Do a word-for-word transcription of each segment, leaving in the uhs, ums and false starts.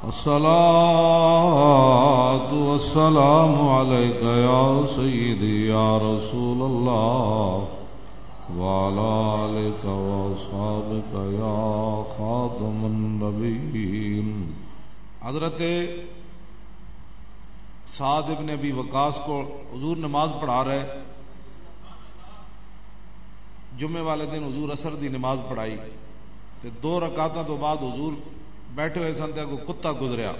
الصلاة والسلام عليك يا سيدي يا رسول الله وعلى آلك وأصحابك يا خاتم النبيين۔ حضرت سعد ابن ابی وقاص کو حضور نماز پڑھا رہے۔ جمعے والے دن حضور عصر دی نماز پڑھائی تے دو رکعتاں تو بعد حضور بیٹھے ہوئے سن تے کوئی کتا گزریا۔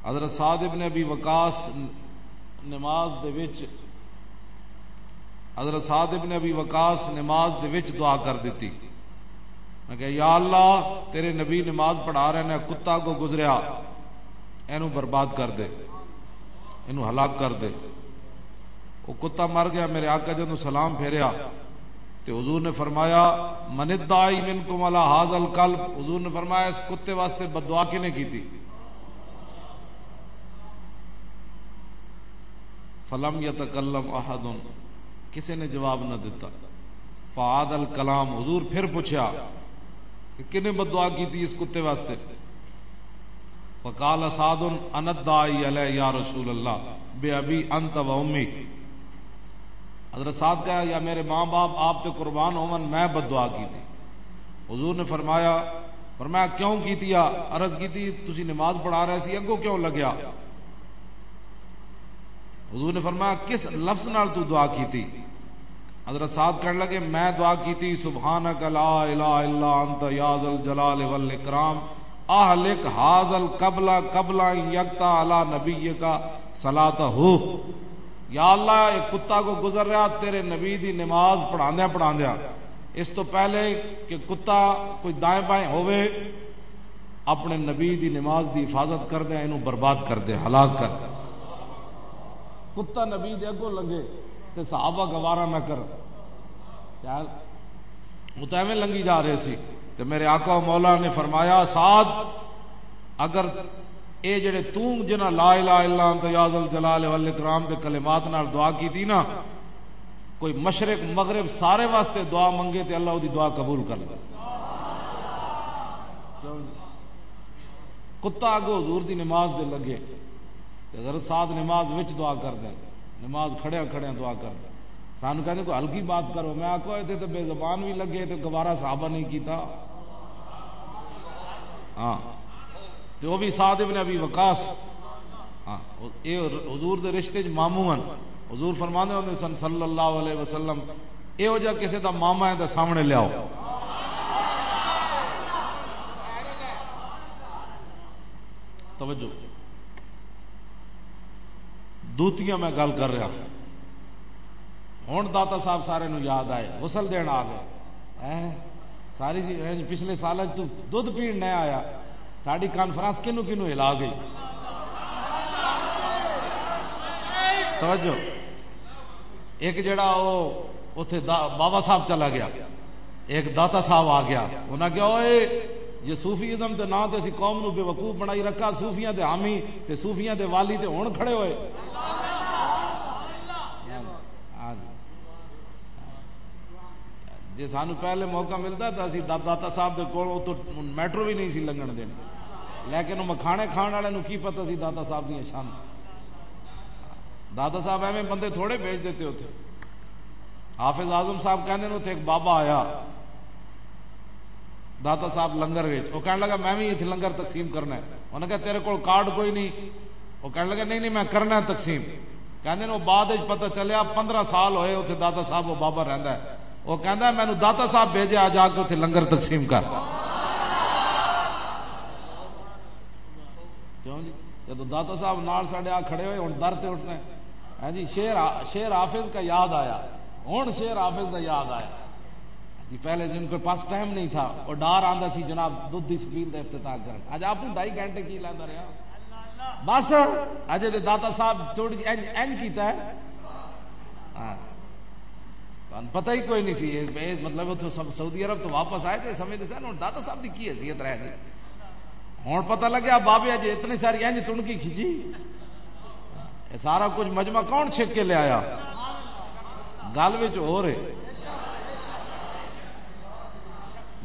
حضرت سعد ابن ابی وقاص نماز دے وچ حضرت سعد ابن ابی وقاص نماز دے وچ دعا کر دتی۔ میں کہا، "یا اللہ، تیرے نبی نماز پڑھا رہے نے، کتا کو گزریا، اینو برباد کر دے، اینو ہلاک کر دے۔" وہ کتا مر گیا۔ میرے آقا جدوں سلام پھیریا تے حضور نے فرمایا، "من الداعی منکم علی ھذا الکلب؟" حضور نے فرمایا، "اس کتے واسطے بددعا کنے کیتی؟" فلم یتکلم احد، کسی نے جواب نہ دتا۔ فعاد الکلام، حضور پھر پوچھا کہ کنے بددعا کیتی اس کتے واسطے؟ فقال سعد، "انا الداعی علیہ یا رسول اللہ، بے ابی انت و امی۔" حضرت سعد کہا، "یا میرے ماں باپ آپ تے قربان ہون، میں بددعا کیتی۔" حضور نے فرمایا، فرمایا، "کیوں کیتی آ؟" عرض کیتی، "تسی نماز پڑھا رہے سی، اگوں کیوں لگیا؟" حضور نے فرمایا، "کس لفظ نال تو دعا کیتی؟" حضرت سعد کہنے لگے، "میں دعا کیتی، سبحانک لا الہ الا انت یا ذا الجلال والاکرام، اہلک ھذا القبل قبل ان یقطع علی نبیک صلاتہ۔" یا اللہ، ایک کتا کو گزر رہا تیرے نبی دی نماز پڑھاندیاں پڑھاندیاں، اس تو پہلے کہ کتا کوئی دائیں بائیں ہوئے، اپنے نبی دی نماز دی حفاظت کر دے، اینو برباد کر دے، ہلاک کر دے۔ کتا نبی دے اگوں لنگے تے صحابہ گوارا نہ کر۔ یار، وہ تو ایویں لنگی جا رہے سی۔ تے میرے آقا و مولا نے فرمایا، "سعد، اگر اے جڑے توں جنہاں لا الہ الا انت یا ذا الجلال والاکرام دے کلمات نال دعا کیتی نا، کوئی مشرق مغرب سارے واسطے دعا منگے تے اللہ دی دعا قبول کر لے۔" کتا اگو حضور دی نماز دے لگے۔ تے حضرت سعد نماز وچ دعا کر دے، نماز کھڑیاں کھڑیاں دعا کر دے۔ سانو کہندے، "کوئی ہلکی بات کرو۔" میں آکھو، "اتھے تے بے زبان بھی لگے تے گوارا صحابہ نہیں کیتا۔" ہاں، تے وہ بھی سعد ابن ابی وقاص۔ ہاں، اے حضور دے رشتے چ ماموں ہن۔ حضور فرماندے ہوندے سن صلی اللہ علیہ وسلم، "ایہو جہا کسے دا ماما ہے تاں سامنے لیاؤ۔" توجہ، دوتیاں میں گل کر رہا۔ ہن داتا صاحب سارے نو یاد آئے، غسل دین آ گئے۔ ہیں؟ ساری جی، ہیں جی، پچھلے سال اج تو دودھ پین نہ آیا۔ ساری کانفرنس کنو کنو ہلا گئی۔ توجہ۔ ایک جڑا او اتھے دا-، بابا صاحب چلا گیا، ایک داتا صاحب آ گیا۔ انہاں کہا، "اوئے، جے صوفیزم دے ناں تے اسی قوم نو بے وقوف بنائی رکھا، صوفیاں دے حامی تے صوفیاں دے والی تے ہن کھڑے ہوئے۔" ہاں جی۔ جے سانو پہلے موقع ملدا تاں اسی دا-، داتا صاحب دے کول اتھوں میٹرو بھی نہیں سی لنگھن دینا، لیکن وہ مکھانے کھان والے نو کی پتہ سی داتا صاحب دیاں شان۔ داتا صاحب ایویں بندے تھوڑے بھیج دیتے اتھے۔ حافظ اعظم صاحب کہندے نے، اتھے ایک بابا آیا داتا صاحب لنگر وچ، وہ کہنے لگا، "میں بھی اتھے لنگر تقسیم کرنا ہے۔" انہاں کہا، "تیرے کول کارڈ کوئی نہیں؟" وہ کہنے لگا، "نہیں، نہیں، میں کرنا ہے تقسیم۔" کہندے نے، وہ بعد وچ پتہ چلیا، پندرہ سال ہوئے اتھے داتا صاحب وہ بابا رہندا ہے۔ وہ کہندا ہے، "مینوں داتا صاحب بھیجے، آ جا کے اتھے لنگر تقسیم کر۔" کیوں جی؟ جدوں داتا صاحب نال ساڈے آ کھڑے ہوئے، ہن در تے اٹھنا ہے۔ ہاں جی، شعر آ-، شعر حافظ کا یاد آیا۔ ہن شعر حافظ دا یاد آیا۔ جی، پہلے جن کے پاس ٹائم نہیں تھا، وہ ڈار آندا سی جناب دودھ دی سبیل دا افتتاح کرن۔ اج آپ ڈھائی گھنٹے کی لیندا رہیا۔ بس، اجے تے داتا صاحب تھوڑی جی انج، انج کیتا ہے۔ ہاں۔ تہانوں پتہ ہی کوئی نہیں سی۔ اے، اے مطلب اتھوں سب سعودی عرب تو واپس آئے تے سمجھدے سن، ہن داتا صاحب دی کی حیثیت رہ گئی؟ ہن پتہ لگیا بابے اجے اتنی ساری انج تنکی کھچی۔ اے سارا کچھ مجمع کون چھک کے لے آیا؟ گل وچ ہو رہے۔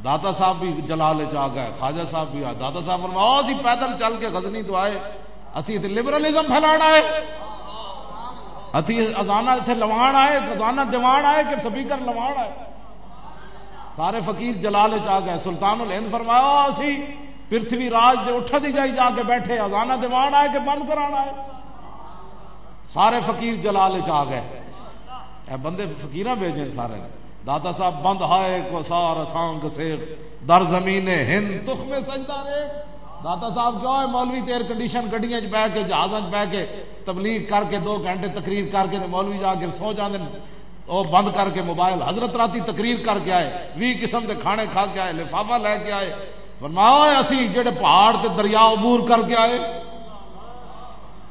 داتا صاحب بھی جلال وچ آ گئے، خواجہ صاحب بھی آئے۔ داتا صاحب فرمایا، "اسی پیدل چل کے غزنی تو آئے، اسی تے لبرلزم پھیلانا ہے، اسی ازانہ اتھے لوان آئے، ازانہ دیوان آئے کہ سپیکر لوان آئے؟" سارے فقیر جلال وچ آ گئے۔ سلطان الہند فرمایا، "اسی پرتھوی راج دے اٹھا دی جائی جا کے بیٹھے، ازانہ دیوان آئے کہ بند کرانا ہے؟" سارے فقیر جلال وچ آ گئے۔ اے بندے فقیراں بھیجے سارے نے۔ داتا صاحب بند ہائے کو سار سانگ سیخ، در زمین ہند تخم سجدہ ریخ۔ داتا صاحب کیوں ہے؟ مولوی تے ایئر کنڈیشن گڈیاں وچ بیٹھ کے، جہازاں وچ بیٹھ کے تبلیغ کر کے، دو گھنٹے تقریر کر کے تے مولوی جا کے سو جاندے نے۔ او بند کر کے موبائل، حضرت راتی تقریر کر کے آئے، ویہہ قسم دے کھانے کھا کے آئے، لفافہ لے کے آئے۔ فرمایا، "اوئے، اسی جڑے پہاڑ تے دریا عبور کر کے آئے،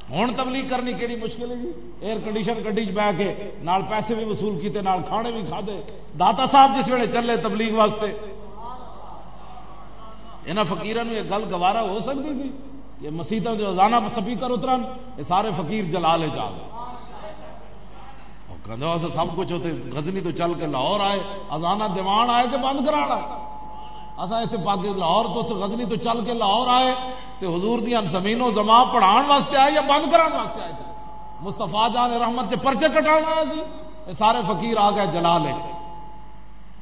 ہن تبلیغ کرنی کیڑی مشکل ہے جی؟" ایئر کنڈیشن گڈی چ بیٹھ کے نال پیسے بھی وصول کیتے، نال کھانے بھی کھادے۔ داتا صاحب جس ویلے چلے تبلیغ واسطے، انہاں فقیراں نوں یہ گل گوارا ہو سکدی سی کہ مسیتاں جو اذاناں سپیکر اترن، یہ سارے فقیر جلال وچ آ گئے۔ وہ کہندے، "اساں سب کچھ اتھے غزنی تو چل کے لاہور آئے، اذاناں دیوان آئے تے بند کرانا۔ اساں اتھے پاک لاہور تو، اتھے غزنی تو چل کے لاہور آئے تے حضور دیاں زمین و زمان پڑھان واسطے آئے یا بند کران واسطے آئے تھے؟ مصطفیٰ جان رحمت کے پرچے کٹانا آیا سی۔" یہ سارے فقیر آ گئے جلال وچ۔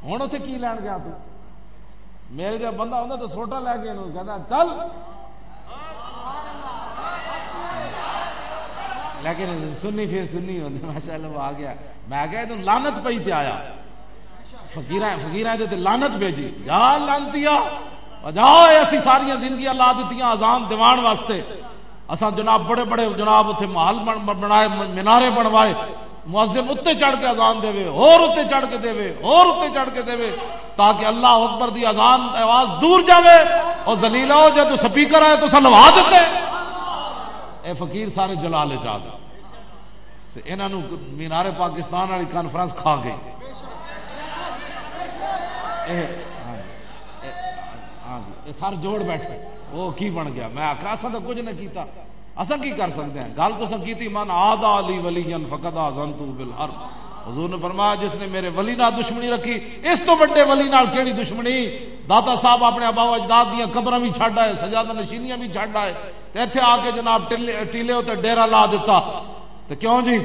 ہن اتھے کی لین گیا تو؟ میرے جا بندہ ہوندا تو سوٹا لے کے انہوں کہندا، "چل۔" لیکن سنی پھر سنی ہوندے، ماشاءاللہ وہ آ گیا۔ میں کہا، "تم لعنت پئی تے آیا۔" فقیراں، فقیراں دے تے لعنت بھیجی۔ جا لعنتیا، جا، اے اسی ساریاں زندگیاں لا دتیاں اذان دیوان واسطے۔ اساں جناب بڑے بڑے جناب اتھے محل بن-، بنائے، مینارے بنوائے، مؤذن اتنے چڑھ کے اذان دے، اور اتنے چڑھ کے دے، اور اتنے چڑھ کے دے، تاکہ اللہ اکبر دی اذان آواز دور جاوے۔ اور ذلیلا ہو جائے تو سپیکر آئے تو اساں لوا دیتے۔ اے فقیر سارے جلال وچ آ گئے۔ تے انہاں نوں مینار پاکستان والی کانفرنس کھا گئی۔ اے، ہاں جی، اے، ہاں جی، اے سر جوڑ بیٹھے، وہ کی بن گیا؟ میں آکھیا، اساں تاں کچھ نہ کیتا، اساں کی کر سکدے ہیں؟ گل تو اساں کیتی، "من عادی لی ولیا فقد آذنتہ بالحرب۔" حضور نے فرمایا، "جس نے میرے ولی نال دشمنی رکھی، اس تو وڈے ولی نال کیڑی دشمنی؟" داتا صاحب اپنے آبا و اجداد دیاں قبراں بھی چھڈ آئے، سجادہ نشینیاں بھی چھڈ آئے، تے ایتھے آ کے جناب ٹیلے، ٹیلے اتے ڈیرہ لا دتا۔ تے کیوں جی؟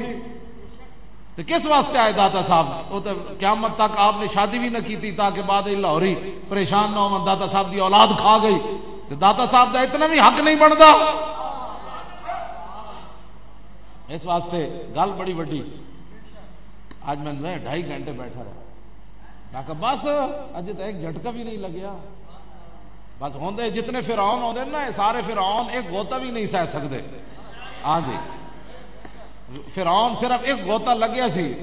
تے کس واسطے آئے داتا صاحب؟ وہ تے قیامت تک آپ نے شادی بھی نہ کی تھی، تاکہ بعد وچ لاہوری پریشان نہ ہون، داتا صاحب دی اولاد کھا گئی۔ تے داتا صاحب دا اتنا بھی حق نہیں بندا۔ اس واسطے گل بڑی وڈی۔ اج میں ڈھائی گھنٹے بیٹھا رہا، میں کہا، "بس، اجے تو ایک جھٹکا بھی نہیں لگیا۔" بس ہوندے جتنے فرعون ہوندے نا، یہ سارے فرعون ایک غوطہ بھی نہیں سہ سکدے۔ ہاں جی، فرعون صرف ایک غوطہ لگیا سی،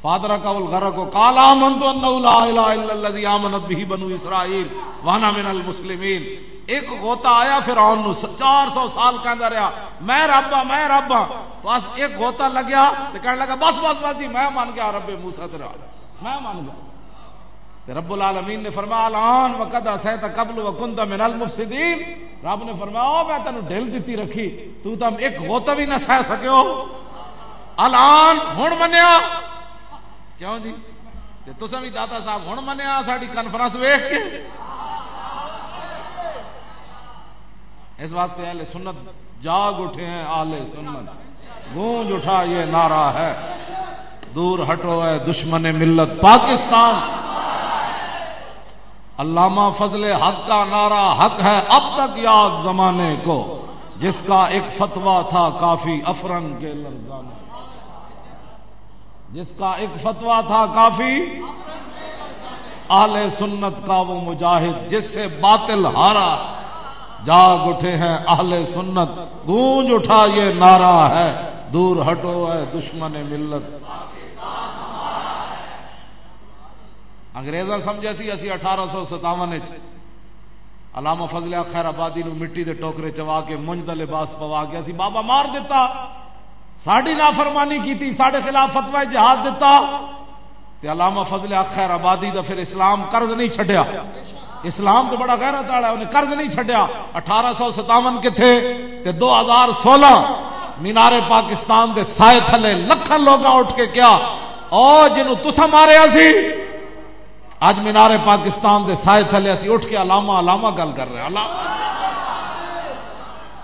فادرکہ الغرق، قال آمنت انہ لا الہ الا الذی آمنت بہ بنو اسرائیل وانا من المسلمین۔ ایک غوطہ آیا فرعون نو، س-، چار سو سال کہندا رہیا، "میں رب ہاں، میں رب ہاں۔" بس ایک غوطہ لگیا تے کہنے لگا، "بس، بس، بس جی، میں من گیا رب موسیٰ تے رب۔" میں من گیا۔ تے رب العالمین نے فرمایا، "الآن وقد عصیت قبل وکنت من المفسدین۔" رب نے فرمایا، "او میں تینوں ڈھل دتی رکھی، تو تم ایک غوطہ بھی نہ سہ سکے ہو۔ الآن ہن منیا۔" کیوں جی؟ تے تساں بھی داتا صاحب ہن منیا ساڈی کانفرنس ویکھ کے؟ اس واسطے اہل سنت جاگ اٹھے ہیں، اہل سنت گونج اٹھا یہ نعرہ ہے، "دور ہٹو اے دشمن ملت پاکستان۔" علامہ فضل حق کا نعرہ حق ہے، اب تک یاد زمانے کو، جس کا ایک فتویٰ تھا کافی افرن کے لرزانے۔ جس کا ایک فتویٰ تھا کافی، اہل سنت کا وہ مجاہد جس سے باطل ہارا، جاگ اٹھے ہیں اہل سنت، گونج اٹھا یہ نعرہ ہے، دور ہٹو اے دشمن ملت۔ انگریزاں سمجھا سی اسی اٹھارہ سو ستاون وچ علامہ فضل حق خیر آبادی نو مٹی دے ٹوکرے چوا کے مونج دا لباس پوا کے اسی بابا مار دتا، ساڈی نافرمانی کیتی، ساڈے خلاف فتوی جہاد دتا۔ تے علامہ فضل حق خیر آبادی دا پھر اسلام قرض نہیں چھڈیا۔ اسلام تو بڑا غیرت والا ہے، انہیں قرض نہیں چھڈیا۔ اٹھارہ سو ستاون کتھے تے دو ہزار سولہ مینار پاکستان دے سائے تھلے لکھاں لوگاں اٹھ کے کیا، "او جنوں تساں ماریا سی، اج مینار پاکستان دے سائے تھلے اسی اٹھ کے علامہ، علامہ گل کر رہے ہیں۔ علامہ،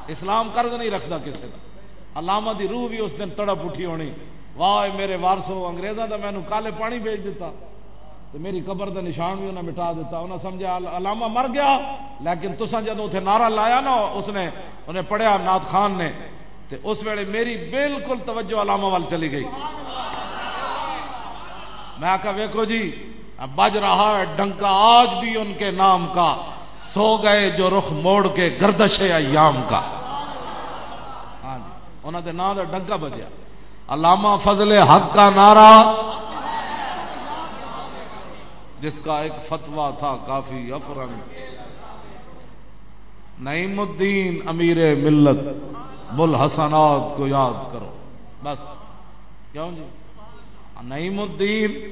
اسلام قرض نہیں رکھدا کسے دا۔ علامہ دی روح بھی اس دن تڑپ اٹھی ہونی، "واہ اے میرے وارثو، انگریزاں دا مینوں کالے پانی بیچ دتا تے میری قبر دا نشان بھی انہاں مٹا دتا۔" انہاں سمجھا، "عل-، علامہ مر گیا۔" لیکن تساں جدوں اتھے نعرہ لایا نا، اس نے، انہیں پڑھیا نعت خان نے، تے اس ویلے میری بالکل توجہ علامہ وال چلی گئی۔ میں آکھا، "ویکھو جی، بج رہا ہے ڈنکا آج بھی ان کے نام کا، سو گئے جو رخ موڑ کے گردش ایام کا۔" ہاں جی، انہاں دے نام دا ڈنکا بجیا۔ علامہ فضل حق کا نعرہ، جس کا ایک فتویٰ تھا کافی افرنگ، "نعیم الدین امیر ملت، بل حسنات کو یاد کرو۔" بس، کیوں جی؟ نعیم الدین،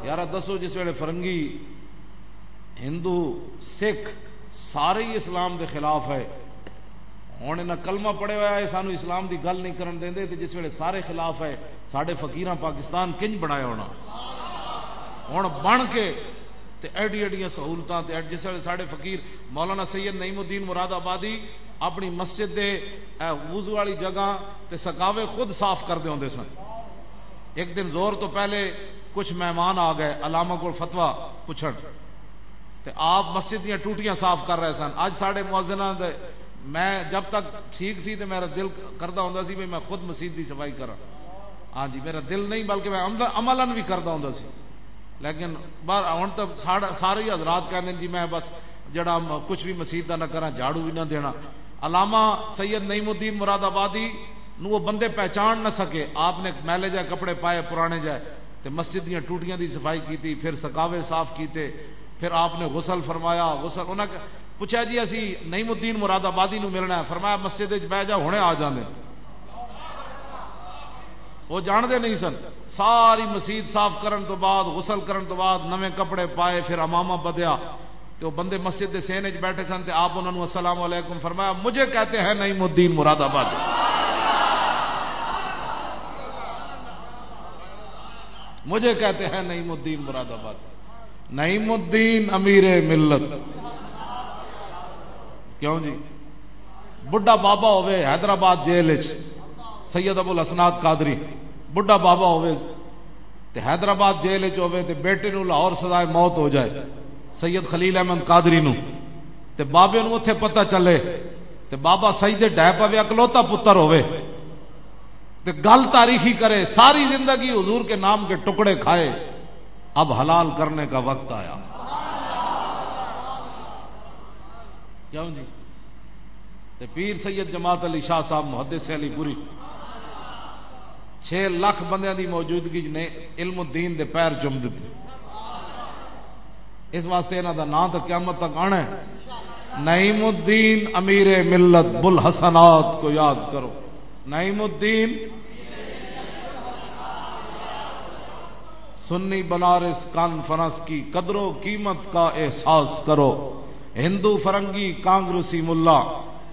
یار دسو، جس ویلے فرنگی، ہندو، سکھ، سارے ہی اسلام دے خلاف ہے۔ ہن انہاں کلمہ پڑھیا ہویا ہے، سانو اسلام دی گل نہیں کرن دیندے، تے جس ویلے سارے خلاف ہے، ساڈے فقیراں پاکستان کنج بنایا ہونا؟ ہن بن کے تے ایڈی ایڈیاں سہولتاں تے ایڈ-، جس ویلے ساڈے فقیر مولانا سید نعیم الدین مراد آبادی اپنی مسجد دے، اے، وضو والی جگہ تے سکاوے خود صاف کردے ہوندے سن۔ ایک دن زور تو پہلے کچھ مہمان آ گئے علامہ کول فتویٰ پوچھن، تے آپ مسجد دیاں ٹوٹیاں صاف کر رہے سن۔ اج ساڈے مؤذناں دے، میں جب تک ٹھیک سی تے میرا دل کردا ہوندا سی بھی میں خود مسجد دی صفائی کراں۔ ہاں جی، میرا دل نہیں بلکہ میں عمل-، عملاً بھی کردا ہوندا سی۔ لیکن بار ہن تو ساڑا-، سارے ہی حضرات کہندے نے، "جی میں بس جڑا م-، کچھ بھی مسیت دا نہ کراں، جھاڑو بھی نہ دینا۔" علامہ سید نعیم الدین مراد آبادی نو وہ بندے پہچان نہ سکے۔ آپ نے میلے جائے کپڑے پائے، پرانے جائے، تے مسجد دیاں ٹوٹیاں دی صفائی کیتی، پھر سکاوے صاف کیتے، پھر آپ نے غسل فرمایا۔ غسل، انہاں ک-، پوچھا، "جی اسی نعیم الدین مراد آبادی نو ملنا ہے۔" فرمایا، "مسجد وچ بہ جا، ہنے آ جاندے۔" وہ جاندے نہیں سن۔ ساری مسیت صاف کرن تو بعد، غسل کرن تو بعد، نویں کپڑے پائے، پھر عمامہ بدیا۔ تے وہ بندے مسجد دے سین وچ بیٹھے سن، تے آپ انہاں نوں "السلام علیکم" فرمایا۔ "مجھے کہتے ہیں نعیم الدین مراد آباد، مجھے کہتے ہیں نعیم الدین مراد آباد، نعیم الدین امیر ملت۔" کیوں جی؟ بڈھا بابا ہوے حیدرآباد جیل وچ، سید ابو الحسنات قادری، بڈھا بابا ہوے تے حیدرآباد جیل وچ ہوے تے بیٹے نوں لاہور سزائے موت ہو جائے، سید خلیل احمد قادری نوں، تے بابے نوں اوتھے پتہ چلے تے بابا سجدے ڈھے پوے، اکلوتا پتر ہوے تے گل تاریخی کرے، ساری زندگی حضور کے نام کے ٹکڑے کھائے، اب حلال کرنے کا وقت آیا۔ کیوں جی؟ تے پیر سید جماعت علی شاہ صاحب محدث علی پوری، چھ لاکھ بندیاں دی موجودگی نے علم الدین دے پیر چم دتے۔ اس واسطے انہاں دا نام تے قیامت تک آنا ہے۔ نعیم الدین امیر ملت، بل حسنات کو یاد کرو۔ نعیم الدین، سنی بنارس کانفرنس کی قدر و قیمت کا احساس کرو۔ ہندو فرنگی کانگریسی ملا،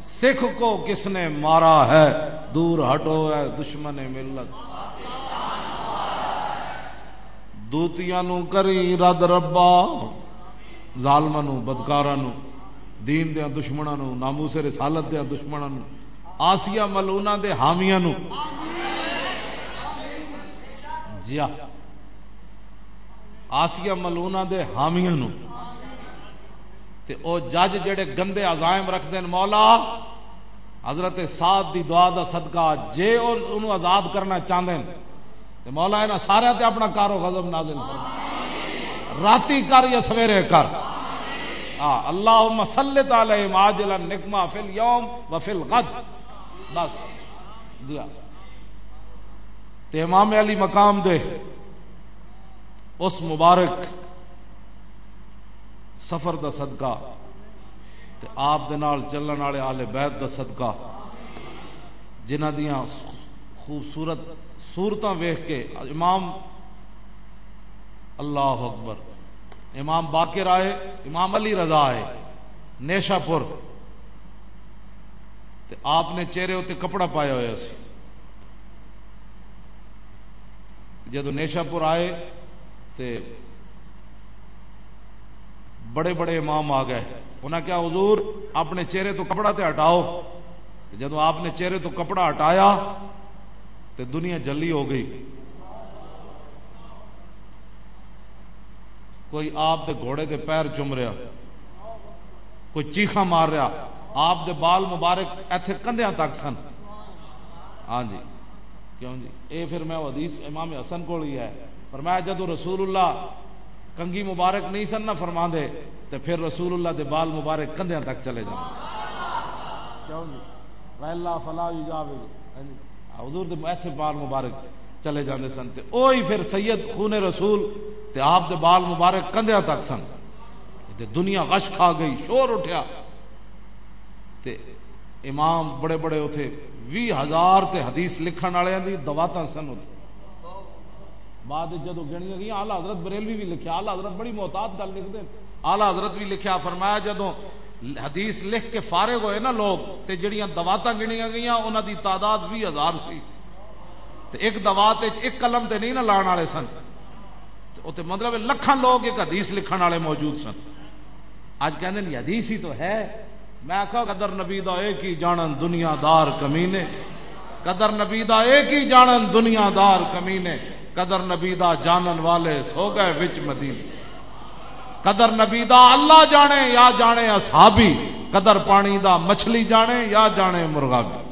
سکھ کو کس نے مارا ہے؟ دور ہٹو اے دشمن ملت۔ دوتیاں نو کری رد ربا، ظالماں نو، بدکاراں نو، دین دیاں دشمناں نو، ناموس رسالت دیاں دشمناں نو، آسیہ ملعونہ دے حامیاں نو، جیا، آسیہ ملعونہ دے حامیاں نو، تے او جج جڑے گندے عزائم رکھدے نے، مولا، حضرت سعد دی دعا دا صدقہ، جے او انہوں آزاد کرنا چاہندے نے، تے مولا انہاں سارے تے اپنا قہر و غضب نازل فرما، راتی کر یا سویرے کر۔ آ، اللہم سلط علیہم عاجلا نقمہ فی الیوم و فی الغد۔ بس، جی ہاں۔ تے امام علی مقام دے اس مبارک سفر دا صدقہ تے آپ دے نال چلن والے آل بیت دا صدقہ، جنہاں دیاں خوبصورت صورتاں ویکھ کے امام، اللہ اکبر، امام باقر آئے، امام علی رضا آئے نیشہ پور، تے آپ نے چہرے اُتے کپڑا پایا ہویا سی۔ جدوں نیشہ پور آئے، تے بڑے بڑے امام آ گئے۔ انہاں کہا، "حضور، اپنے چہرے تو کپڑا تے ہٹاؤ۔" تے جدوں آپ نے چہرے تو کپڑا ہٹایا تے دنیا جلی ہو گئی۔ کوئی آپ دے گھوڑے دے پیر چم رہا، کوئی چیخاں مار رہا۔ آپ دے بال مبارک ایتھے کندھیاں تک سن۔ ہاں جی، کیوں جی؟ اے پھر میں حدیث امام حسن کول ہی ہے، فرمایا، جدوں رسول اللہ کنگھی مبارک نہیں سن نہ فرما دے، تے پھر رسول اللہ دے بال مبارک کندھیاں تک چلے جاندے۔ کیوں جی؟ وَإِلَّا فَلَا يُجَاوِزُ۔ ہاں جی، حضور دے ایتھے بال مبارک چلے جاندے سن، تے اوہی پھر سید خون رسول تے آپ دے بال مبارک کندھیاں تک سن۔ تے دنیا غش کھا گئی، شور اٹھیا۔ تے امام بڑے بڑے اتھے، ویہہ ہزار تے حدیث لکھن والے دی دواتاں سن اتھے۔ بعد وچ جدوں گنیاں گئیاں، اعلیٰ حضرت بریلوی بھی لکھیا، اعلیٰ حضرت بڑی محتاط گل لکھدے۔ اعلیٰ حضرت بھی لکھیا، فرمایا، جدوں حدیث لکھ کے فارغ ہوئے نا لوگ، تے جڑیاں دواتاں گنیاں گئیاں، انہاں دی تعداد ویہہ ہزار سی۔ تے ایک دوات وچ ایک قلم تے نہیں نہ لان والے سن۔ تے اتھے مطلب لکھاں لوگ ایک حدیث لکھن والے موجود سن۔ اج کہندے نے، "حدیث ہی تو ہے۔" میں آکھا، "قدر نبی دا اے کی جانن دنیا دار کمینے، قدر نبی دا اے کی جانن دنیا دار کمینے، قدر نبی دا جانن والے سو گئے وچ مدینے۔ قدر نبی دا اللہ جانے یا جانے اصحابی، قدر پانی دا مچھلی جانے یا جانے مرغابی۔"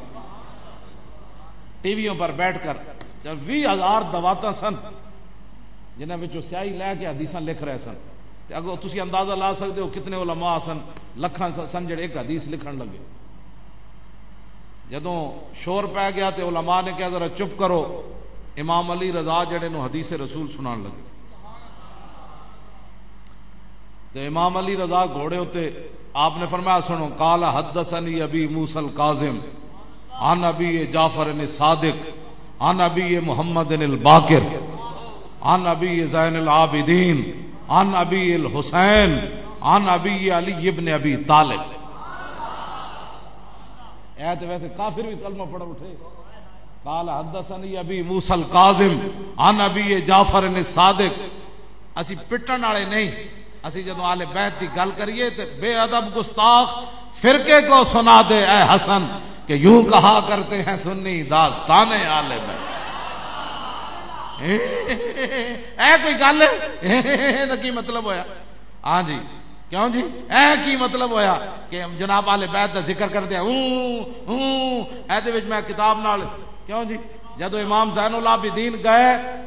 ٹی ویوں پر بیٹھ کر، جب ویہہ ہزار دواتاں سن، جنہاں وچوں سیاہی لے کے حدیثاں لکھ رہے سن۔ تے اگوں تسی اندازہ لا سکدے ہو کتنے علماء سن، لکھاں سن جڑے ایک حدیث لکھن لگے۔ جدوں شور پے گیا تے علماء نے کہا، "ذرا چپ کرو۔" امام علی رضا جڑے نو حدیث رسول سنان لگے۔ تے امام علی رضا گھوڑے اتے آپ نے فرمایا، سنو، قال حدثني ابي موسى الكاظم عن ابي جعفر الصادق عن ابي محمد الباقر عن ابي زين العابدين عن ابي الحسين عن ابي علي بن ابي طالب۔ اے تے ویسے کافر بھی کلمہ پڑھ اٹھے۔ قال حدثني ابي موسى الكاظم عن ابي جعفر الصادق۔ اسی پٹن والے نہیں، اسی جدوں آل بیت دی گل کریے تے بے ادب گستاخ فرقے کو سنا دے اے حسن کہ یوں کہا کرتے ہیں سنی داستان آل بیت۔ اے کوئی گل ہے؟ اے دا کی مطلب ہویا؟ ہاں جی، کیوں جی؟ اے کی مطلب ہویا کہ جناب آل بیت دا ذکر کردے اوں اوں؟ اے دے وچ میں کتاب نال، کیوں جی؟ جدوں امام زین العابدین گئے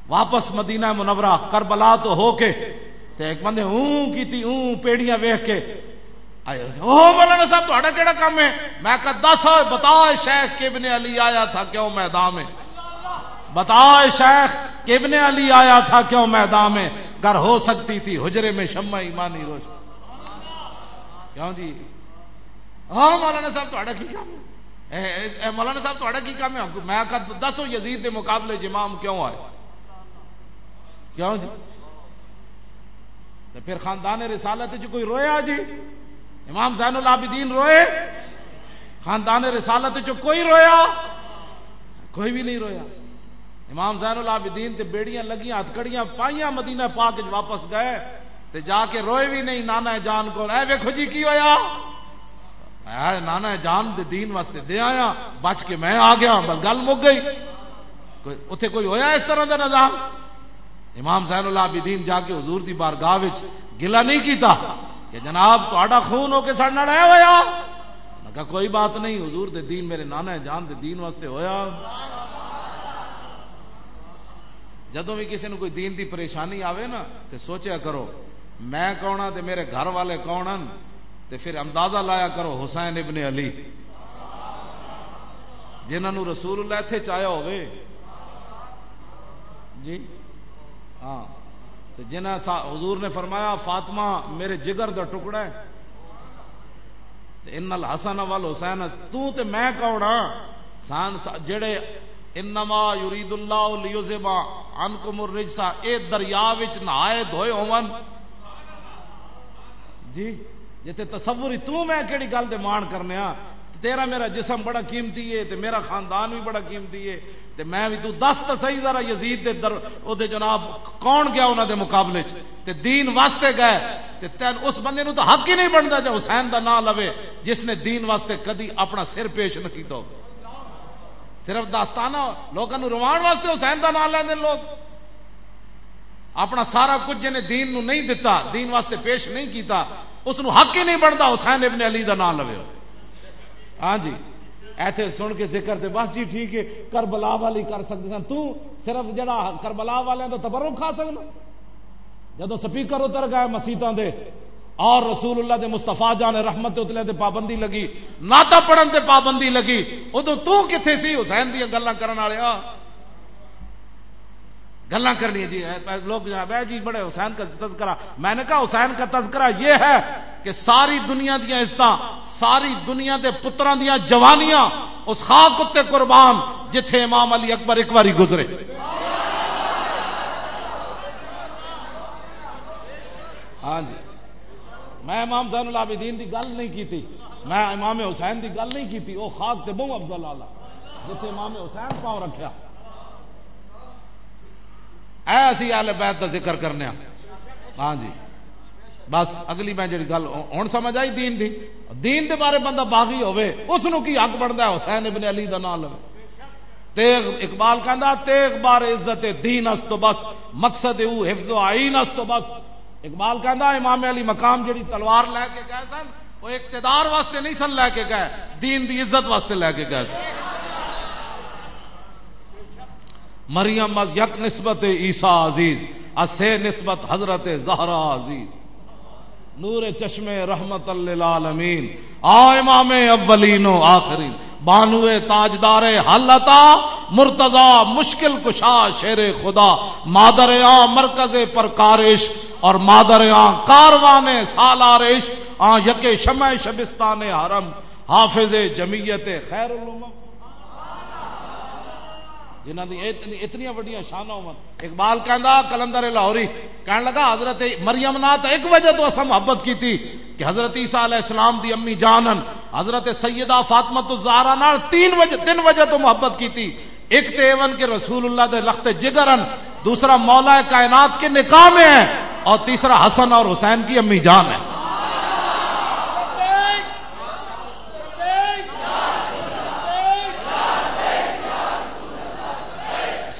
واپس مدینہ منورہ کربلا تو ہو کے، تے ایک بندے اوں کیتی، اوں پیڑیاں ویکھ کے آئے، "او مولانا صاحب، تہاڈا کیڑا کم ہے؟" میں کہا، "دس، بتا شیخ کہ ابن علی آیا تھا کیوں میدان میں؟ بتا شیخ کہ ابن علی آیا تھا کیوں میدان میں؟ گر ہو سکتی تھی حجرے میں شمع ایمانی روشن۔" کیوں جی؟ ہاں مولانا صاحب، تہاڈا کی کم ہے؟ اے، اے، اے مولانا صاحب، تہاڈا کی کم ہے؟ میں کہا، "دسو، یزید دے مقابلے چ امام کیوں آئے؟ کیوں جی؟" تے پھر خاندان رسالت چ کوئی رویا جی؟ امام زین العابدین روئے؟ خاندان رسالت چ کوئی رویا؟ کوئی بھی نہیں رویا۔ امام زین العابدین تے بیڑیاں لگیاں، ہتھ کڑیاں پائیاں، مدینہ پاک وچ واپس گئے تے جا کے روئے بھی نہیں نانا جان کول۔ اے ویکھو جی کی ہویا، اے نانا جان دے دین واسطے دے آیا، بچ کے میں آ گیا، بس گل مک گئی۔ کوئی، اتھے کوئی ہویا اس طرح دا نظام؟ امام زین العابدین جا کے حضور دی بارگاہ وچ گلہ نہیں کیتا کہ جناب، تہاڈا خون ہو کے ساڈے نال اے ہویا؟ انہاں کہا، "کوئی بات نہیں، حضور دے دین، میرے نانا جان دے دین واسطے ہویا۔" جدوں بھی کسی نوں کوئی دین دی پریشانی آوے نا، تے سوچیا کرو، میں کون ہاں تے میرے گھر والے کون ہن؟ تے پھر اندازہ لایا کرو، حسین ابن علی، جنہاں نوں رسول اللہ ایتھے چاہیا ہووے۔ جی ہاں، تے جنہاں سا-، حضور نے فرمایا، "فاطمہ میرے جگر دا ٹکڑا ہے۔" تے ان الحسن والحسین، تو تے میں کون ہاں؟ سان سا-، جڑے "انما یرید اللہ لیذھب عنکم الرجس"، اے دریا وچ نہائے دھوئے ہون۔ جی، جتے تصور ہی، تو میں کیڑی گل دے مان کرنے ہاں؟ تیرا میرا جسم بڑا قیمتی ہے، تے میرا خاندان بھی بڑا قیمتی ہے، تے میں بھی، تو دس تو صحیح ذرا، یزید دے در، او دے جناب، کون گیا انہاں دے مقابلے چ؟ تے دین واسطے گئے، تے تین اس بندے نو تو حق ہی نہیں بندا جے حسین دا نام لوے، جس نے دین واسطے کدی اپنا سر پیش نہ کیتا ہو۔ صرف داستانہ لوکاں نو روان واسطے حسین دا نام لیندے لوگ۔ اپنا سارا کچھ جنہیں دین نو نہیں دتا، دین واسطے پیش نہیں کیتا، اس نو حق ہی نہیں بندا حسین ابن علی دا نام لوے۔ ہاں جی، ایتھے سن کے ذکر تے بس جی ٹھیک ہے، کربلا والی کر سکدے سن۔ تو صرف جڑا کربلا والے دا تبرک کھا سکنا۔ جدوں سپیکر اتر گئے مسیتاں دے اور رسول اللہ دے مصطفیٰ جان رحمت دے اتلے تے پابندی لگی، نعتاں پڑھن تے پابندی لگی، ادوں تو کتھے سی حسین دیاں گلاں کرن والیا؟ گلاں کرنی جی، اے، اے لوگ جناب، اے جی بڑے حسین کا تذکرہ۔ میں نے کہا، حسین کا تذکرہ یہ ہے کہ ساری دنیا دیاں عزتاں، ساری دنیا دے پتراں دیاں جوانیاں اس خاک اُتے قربان، جتھے امام علی اکبر ایک واری گزرے۔ ہاں جی، میں امام زین العابدین دی گل نہیں کیتی، میں امام حسین دی گل نہیں کیتی۔ او خاک تے بہوں افضل آلا، جتھے امام حسین پاؤں رکھیا۔ اے اسی اہل بیت دا ذکر کرنے ہاں۔ ہاں جی، بس اگلی میں جڑی گل ہن سمجھ آئی دین دی، دین دے بارے بندہ باغی ہوئے، اس نو کی حق بندا ہے حسین ابن علی دا نام لوے؟ تیغ، اقبال کہندا، "تیغ بار عزت دین است و بس، مقصد او حفظ و آئین است و بس۔" اقبال کہندا، امام علی مقام جڑی تلوار لے کے گئے سن، وہ اقتدار واسطے نہیں سن لے کے گئے، دین دی عزت واسطے لے کے گئے سن۔ مریم از یک نسبت عیسی عزیز، از سه نسبت حضرت زهرا عزیز۔ نور چشم رحمت للعالمین، آ امام اولین و آخرین، بانو تاجدار حلتا، مرتضی مشکل کشا شیر خدا، مادر آ مرکز پرکارش اور مادر آ کاروان سالارش، آ یک شمع شبستان حرم، حافظ جمعیت خیر الامم۔ جنہاں دی اتنی، اتنیاں وڈیاں شاناں ہون۔ اقبال کہندا، قلندر لاہوری کہن لگا، حضرت مریم نال تاں ایک وجہ تو اساں محبت کیتی کہ حضرت عیسیٰ علیہ السلام دی امی جان ہن۔ حضرت سیدہ فاطمہ الزہرا نال تین وجہ، تین وجہ تو محبت کیتی۔ ایک تے ایون کہ رسول اللہ دے لخت جگر ہن، دوسرا مولا کائنات کے نکاح میں ہے، اور تیسرا حسن اور حسین کی امی جان ہے۔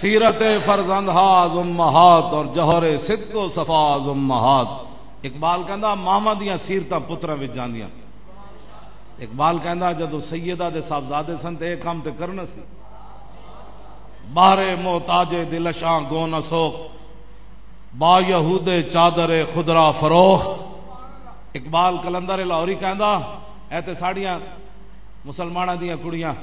سیرت فرزند ہا از امہات اور جوہر صدق و صفا از امہات۔ اقبال کہندا، ماواں دیاں سیرتاں پتراں وچ جاندیاں۔ اقبال کہندا، جدوں سیدہ دے صاحبزادے سن تے اے کم تے کرنا سی۔ بہر محتاج دلشاں گون سوخت، با یہود چادر خدرا فروخت۔ اقبال قلندر لاہوری کہندا، اے تے ساڈیاں مسلماناں دیاں کڑیاں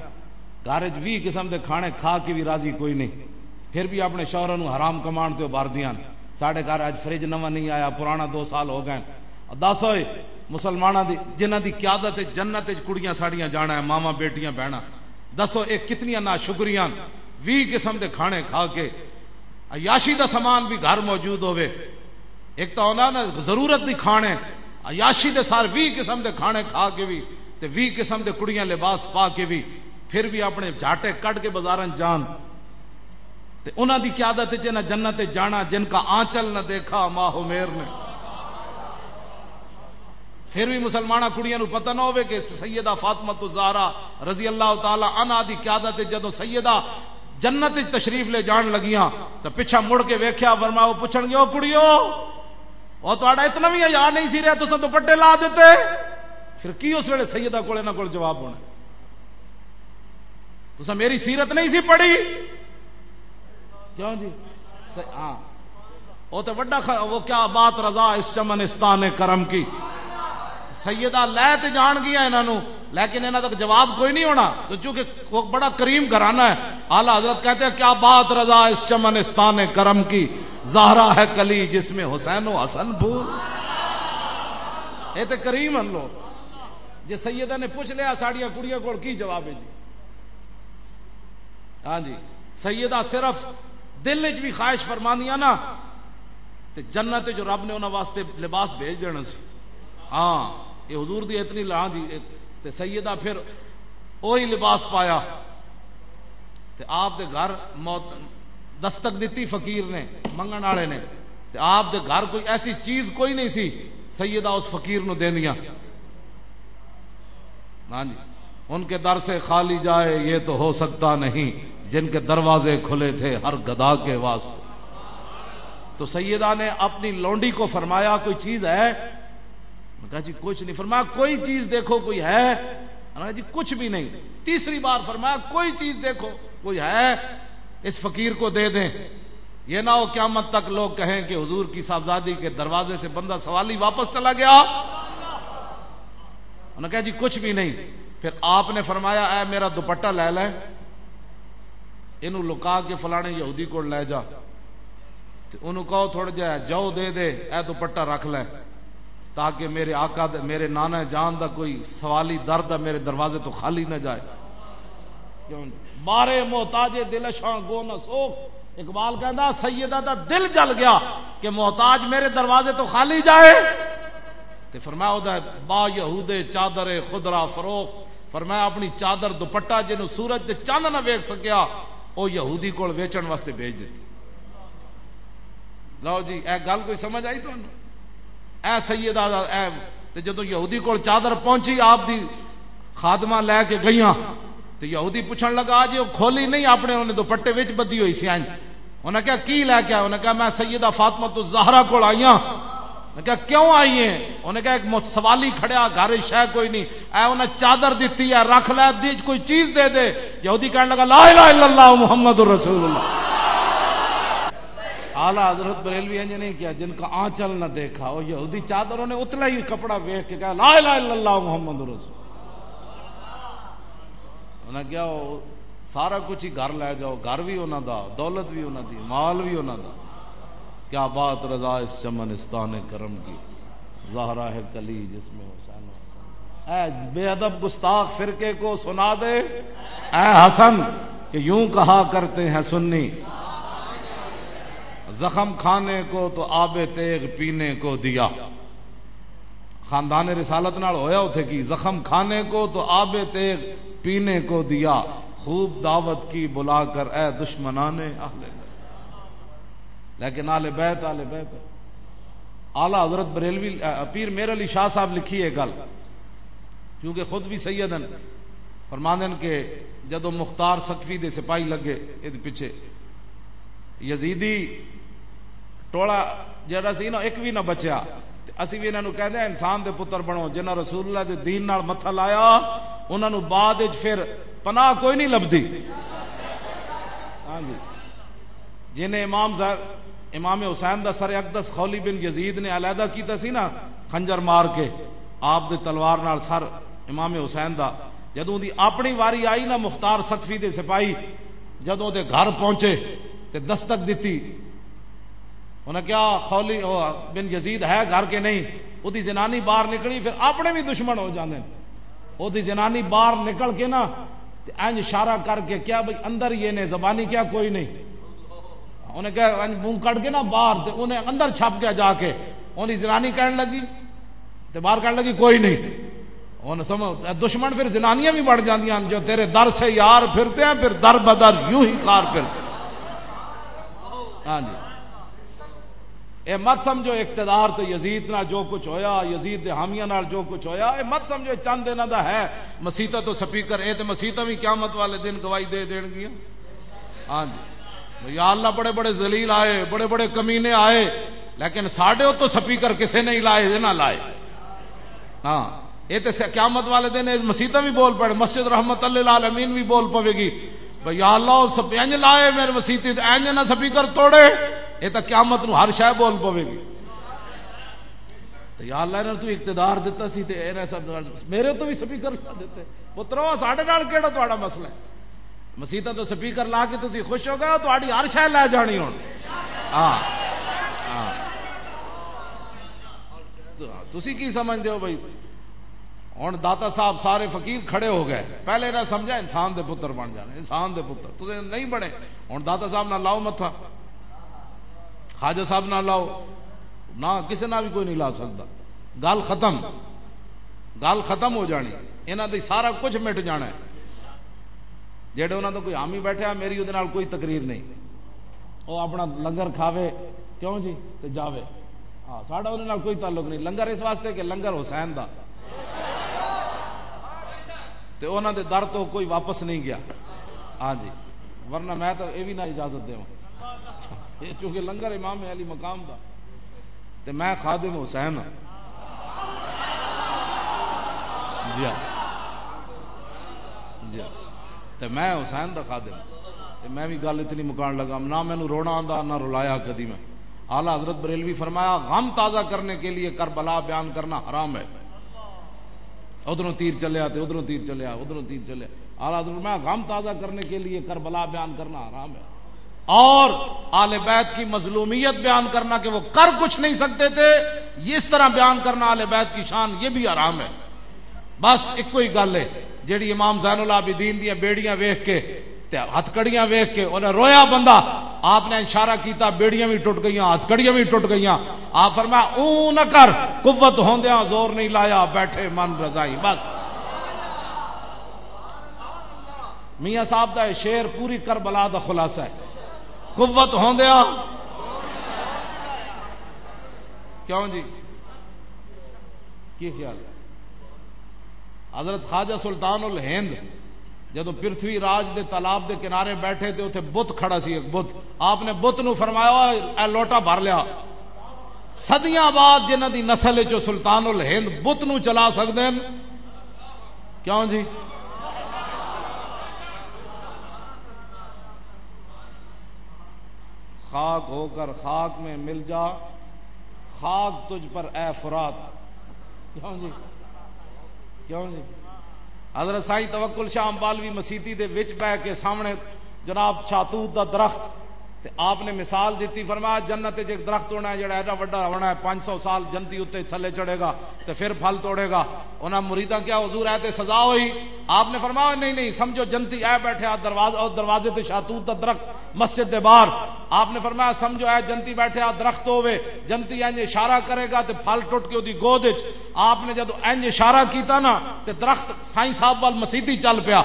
گھر وچ ویہہ قسم دے کھانے کھا کے بھی راضی کوئی نہیں، پھر بھی اپنے شوہراں نوں حرام کمان تے ابھاردیاں۔ ساڈے گھر اج فریج نواں نہیں آیا، پرانا دو سال ہو گئے۔ دس ہوئے مسلماناں دی، جنہاں دی قیادت وچ جنت وچ کڑیاں ساڈیاں جانا ہے، ماواں، بیٹیاں، بہناں، دسو اے کتنیاں ناشکریاں ہن؟ ویہہ قسم دے کھانے کھا کے، عیاشی دا سامان بھی گھر موجود ہووے، ایک تاں انہاں نے ضرورت دی کھانے، عیاشی دے سارے ویہہ قسم دے کھانے کھا کے بھی، تے ویہہ قسم دے کڑیاں لباس پا کے بھی، پھر بھی اپنے جھاٹے کڈ کے بازاراں چ جان۔ تے انہاں دی قیادت وچ انہاں جنت وچ جانا، جن کا آنچل نہ دیکھا ماہ و میر نے۔ پھر بھی مسلمانہ کڑیاں نوں پتہ نہ ہووے کہ سیدہ فاطمہ الزہرا رضی اللہ تعالی عنہا دی قیادت وچ جدوں سیدہ جنت وچ تشریف لے جان لگیاں، تے پچھا مڑ کے ویکھیا، فرمایا، وہ پوچھن گے، "او کڑیو، او تہاڈا اتنا بھی حیا نہیں سی رہیا، تساں دوپٹے لا دتے؟" پھر کی اس ویلے سیدہ کول، انہاں کول جواب ہونا؟ تساں میری سیرت نہیں سی پڑھی؟ کیوں جی؟ س-، ہاں۔ وہ تو وڈا خ-، وہ کیا بات رضا اس چمنستان کرم کی۔ سیدہ لے تے جان گیا انہاں نو، لیکن انہاں تک جواب کوئی نہیں ہونا، تو چونکہ وہ بڑا کریم گھرانہ ہے۔ اعلیٰ حضرت کہتے ہیں، "کیا بات رضا اس چمنستان کرم کی، زہرا ہے کلی جس میں حسین و حسن پھول۔" یہ تے کریم ہن لوگ۔ جے سیدہ نے پوچھ لیا، ساڈیاں کڑیاں کول کی جواب ہے جی؟ ہاں جی، سیدہ صرف دل وچ بھی خواہش فرماندیاں نا، تے جنت وچ رب نے انہاں واسطے لباس بھیج دینا سی۔ ہاں، یہ حضور دی اتنی لا جی۔ تے سیدہ پھر وہی لباس پایا۔ تے آپ دے گھر موت دستک دتی فقیر نے، منگن والے نے۔ تے آپ دے گھر کوئی ایسی چیز کوئی نہیں سی، سیدہ اس فقیر نو دیندیاں۔ ہاں جی، ان کے در سے خالی جائے یہ تو ہو سکتا نہیں، جن کے دروازے کھلے تھے ہر گدا کے واسطے۔ تو سیدہ نے اپنی لونڈی کو فرمایا، کوئی چیز ہے؟ انہوں نے کہا، جی کچھ نہیں۔ فرمایا، کوئی چیز دیکھو، کوئی ہے؟ انہوں نے کہا، جی کچھ بھی نہیں۔ تیسری بار فرمایا، کوئی چیز دیکھو، کوئی ہے؟ اس فقیر کو دے دیں، یہ نہ ہو قیامت تک لوگ کہیں کہ حضور کی صاحبزادی کے دروازے سے بندہ سوالی واپس چلا گیا۔ انہوں نے کہا، جی کچھ بھی نہیں۔ پھر آپ نے فرمایا، اے میرا دوپٹہ لے لے، اینو لکا کے فلانے یہودی کول لے جا، تے اونوں کہو تھوڑا جہا جو دے دے، اے دوپٹہ رکھ لے، تاکہ میرے آقا دے، میرے نانا جان دا کوئی سوالی درد ہے، میرے دروازے تو خالی نہ جائے۔ کیوں؟ بارے محتاج دلشاں گو نہ سوخ۔ اقبال کہندا، سیدہ دا دل جل گیا کہ محتاج میرے دروازے تو خالی جائے۔ تے فرمایا، او دا با یہود چادر خدرا فروخت۔ فرمایا، اپنی چادر دوپٹہ جنوں سورج تے چند نہ ویکھ سکیا، او یہودی کول ویچن واسطے بھیج دتی۔ لو جی، اے گل کوئی سمجھ آئی تانوں؟ اے سیدہ دا، اے، تے جدوں یہودی کول چادر پہنچی، آپ دی خادمہ لے کے گئیاں، تے یہودی پوچھن لگا، جی وہ کھولی نہیں، اپنے انہیں دوپٹے وچ بدھی ہوئی سی۔ انہاں کہا، کی لے کے آئے؟ انہاں کہا، میں سیدہ فاطمہ تو زہرا کول آئی ہاں۔ انہاں کہا، کیوں آئی ہیں؟ انہاں کہا، ایک مت-، سوالی کھڑیا، گھر وچ شے کوئی نہیں، اے انہاں چادر دتی ہے، رکھ لے، دی کوئی چیز دے دے۔ یہودی کہنے لگا، لا الہ الا اللہ محمد رسول اللہ۔ اعلیٰ حضرت بریلوی انج نہیں کیا، جن کا آنچل نہ دیکھا۔ وہ یہودی چادروں نے اتلا ہی کپڑا ویکھ کے کہا، لا الہ الا اللہ محمد رسول۔ انہاں کہا، وہ سارا کچھ ہی گھر لے جاؤ، گھر بھی انہاں دا، دولت بھی انہاں دی، مال بھی انہاں دا۔ کیا بات رضا اس چمنستان کرم کی، زہرا ہے کلی جس میں حسین و حسن۔ اے بے ادب گستاخ فرقے کو سنا دے، اے حسن، کہ یوں کہا کرتے ہیں سنی، زخم کھانے کو تو آب تیغ پینے کو دیا۔ خاندان رسالت نال ہویا اتھے کی، زخم کھانے کو تو آب تیغ پینے کو دیا، خوب دعوت کی بلا کر اے دشمنان اہل بیت۔ لیکن اہل بیت، اہل بیت۔ اعلیٰ حضرت بریلوی، اے، پیر میر علی شاہ صاحب لکھی ہے گل، کیونکہ خود بھی سید ہیں، فرماندے ہیں کہ جدوں مختار ثقفی دے سپاہی لگے، اے دے پیچھے یزیدی ٹولا جڑا سی نا، ایک بھی نہ بچیا۔ تے اسی بھی انہاں نوں کہندے ہیں، انسان دے پتر بنو، جنہاں رسول اللہ دے دین نال متھا لایا، انہاں نوں بعد وچ پھر پناہ کوئی نہیں لبدی۔ ہاں جی، جنہیں امام زر-، امام حسین دا سر اقدس خولی بن یزید نے علیحدہ کیتا سی نا، خنجر مار کے آپ دے تلوار نال سر امام حسین دا، جدوں دی اپنی واری آئی نا، مختار ثقفی دے سپاہی جدوں دے گھر پہنچے تے دستک دتی، انہاں کہا، خولی، او، بن یزید ہے گھر کے نہیں؟ اودی زنانی باہر نکلی، پھر اپنے بھی دشمن ہو جاندے نے۔ اودی زنانی باہر نکل کے نا، تے انج اشارہ کر کے کہا، بھئی اندر یہ نے، زبانی کہا، کوئی نہیں۔ انہیں کہا، انج منہ کڈ کے نا باہر، تے انہیں اندر چھپ گیا جا کے۔ اودی زنانی کہن لگی، تے باہر کہن لگی، کوئی نہیں۔ ہن سمجھ، دشمن پھر زنانیاں بھی بن جاندیاں ہن، جو تیرے در سے یار پھرتے ہیں، پھر در بدر یوں ہی کار پھرتے ہیں۔ ہاں جی، اے مت سمجھو اقتدار تے یزید نال جو کچھ ہویا، یزید دے حامیاں نال جو کچھ ہویا، اے مت سمجھو چند انہاں دا ہے۔ مسیتاں تو سپیکر، اے تے مسیتاں بھی قیامت والے دن گواہی دے دین گیاں۔ ہاں جی، یا اللہ، بڑے بڑے ذلیل آئے، بڑے بڑے کمینے آئے، لیکن ساڈے اتوں سپیکر کسے نہیں لائے، اے نہ لائے۔ ہاں، اے تے س-، قیامت والے دن اے مسیتاں بھی بول پڑے، مسجد رحمت للعالمین بھی بول پوے گی، بھئی یا اللہ، او سب انج لائے میرے مسیت تے، انج نہ سپیکر توڑے۔ اے تے قیامت نو ہر شے بول پوے گی۔ تے یا اللہ، انہاں نوں تو اقتدار دتا سی تے اے ایسا میرے تو بھی سپیکر نہ دتے۔ پترو، ساڈے نال کیڑا تہاڈا مسئلہ ہے؟ مسیتاں تو سپیکر لا کے تسی خوش ہو گئے ہو، تہاڈی ہر شے لے جانی ہن۔ ہاں، ہاں۔ تو تسی کی سمجھدے ہو بھائی؟ ہن داتا صاحب سارے فقیر کھڑے ہو گئے۔ پہلے نہ سمجھا انسان دے پتر بن جانے، انسان دے پتر۔ تسی نہیں بنے، ہن داتا صاحب نہ لاؤ متھا، خواجہ صاحب نہ لاؤ، نہ کسے نہ بھی کوئی نہیں لا سکتا۔ گل ختم، گل ختم ہو جانی۔ انہاں دی سارا کچھ مٹ جانا ہے۔ جیڑے انہاں دا کوئی حامی بیٹھا، میری اودے نال کوئی تقریر نہیں۔ او اپنا لنگر کھاوے، کیوں جی، تے جاوے۔ ہاں، ساڈا اودے نال کوئی تعلق نہیں۔ لنگر اس واسطے کہ لنگر حسین دا، تے انہاں دے در تو کوئی واپس نہیں گیا۔ ہاں جی، ورنہ میں تو اے بھی نہ اجازت دیواں۔ اے چونکہ لنگر امام علی مقام دا، تے میں خادم حسین ہاں۔ جی ہاں۔ جی ہاں۔ تے میں حسین دا خادم ہاں۔ تے میں بھی گل اتنی مکان لگا، نہ مینوں رونا آندا، نہ رلایا کدی میں۔ اعلیٰ حضرت بریلوی فرمایا، غم تازہ کرنے کے لیے کربلا بیان کرنا حرام ہے۔ ادھروں تیر چلیا تے ادھروں تیر چلیا، ادھروں تیر چلیا۔ اعلیٰ حضرت فرمایا، غم تازہ کرنے کے لیے کربلا بیان کرنا حرام ہے۔ اور آل بیت کی مظلومیت بیان کرنا کہ وہ کر کچھ نہیں سکتے تھے، یہ اس طرح بیان کرنا آل بیت کی شان، یہ بھی حرام ہے۔ بس ایک کوئی گل ہے، جیڑی امام زین العابدین دیاں بیڑیاں ویکھ کے تے ہتھ کڑیاں ویکھ کے انہیں رویا بندہ، آپ نے اشارہ کیتا، بیڑیاں بھی ٹوٹ گئیاں، ہتھ کڑیاں بھی ٹوٹ گئیاں۔ آپ فرمایا، اوں نہ کر، قوت ہوندیاں زور نہیں لایا، بیٹھے من رضائی۔ بس میاں صاحب دا یہ شعر پوری کربلا دا خلاصہ ہے۔ قوت ہوندیا، کیوں جی؟ کی خیال ہے؟ حضرت خواجہ سلطان الہند جدوں پرتھوی راج دے تالاب دے کنارے بیٹھے تے اتھے بت کھڑا سی، ایک بت، آپ نے بت نو فرمایا، "اے لوٹا بھر لیا۔" صدیاں بعد جنہاں دی نسل وچ سلطان الہند بت نو چلا سکدے ہن، کیوں جی؟ خاک ہو کر خاک میں مل جا، خاک تجھ پر اے فرات۔ کیوں جی؟ کیوں جی؟ حضرت سائیں توکل شاہ امبالوی مسیتی دے وچ بہ کے سامنے جناب شاتوت دا درخت، تے آپ نے مثال دیتی، فرمایا، "جنت وچ ایک درخت ہونا ہے جڑا ایڈا وڈا ہونا ہے، پانچ سو سال جنتی اتنے تھلے چڑھے گا تے پھر پھل توڑے گا۔" انہاں مریداں کیا، "حضور، اے تے سزا ہوئی؟" آپ نے فرمایا، "نہیں، نہیں، سمجھو جنتی اے بیٹھے آ دروازے، او دروازے تے شاتوت دا درخت مسجد دے باہر۔" آپ نے فرمایا، "سمجھو اے جنتی بیٹھے آ درخت ہووے، جنتی انج اشارہ کرے گا تے پھل ٹوٹ کے اودی گود وچ۔" آپ نے جدوں انج اشارہ کیتا نا تے درخت سائیں صاحب وال مسیتی چل پیا۔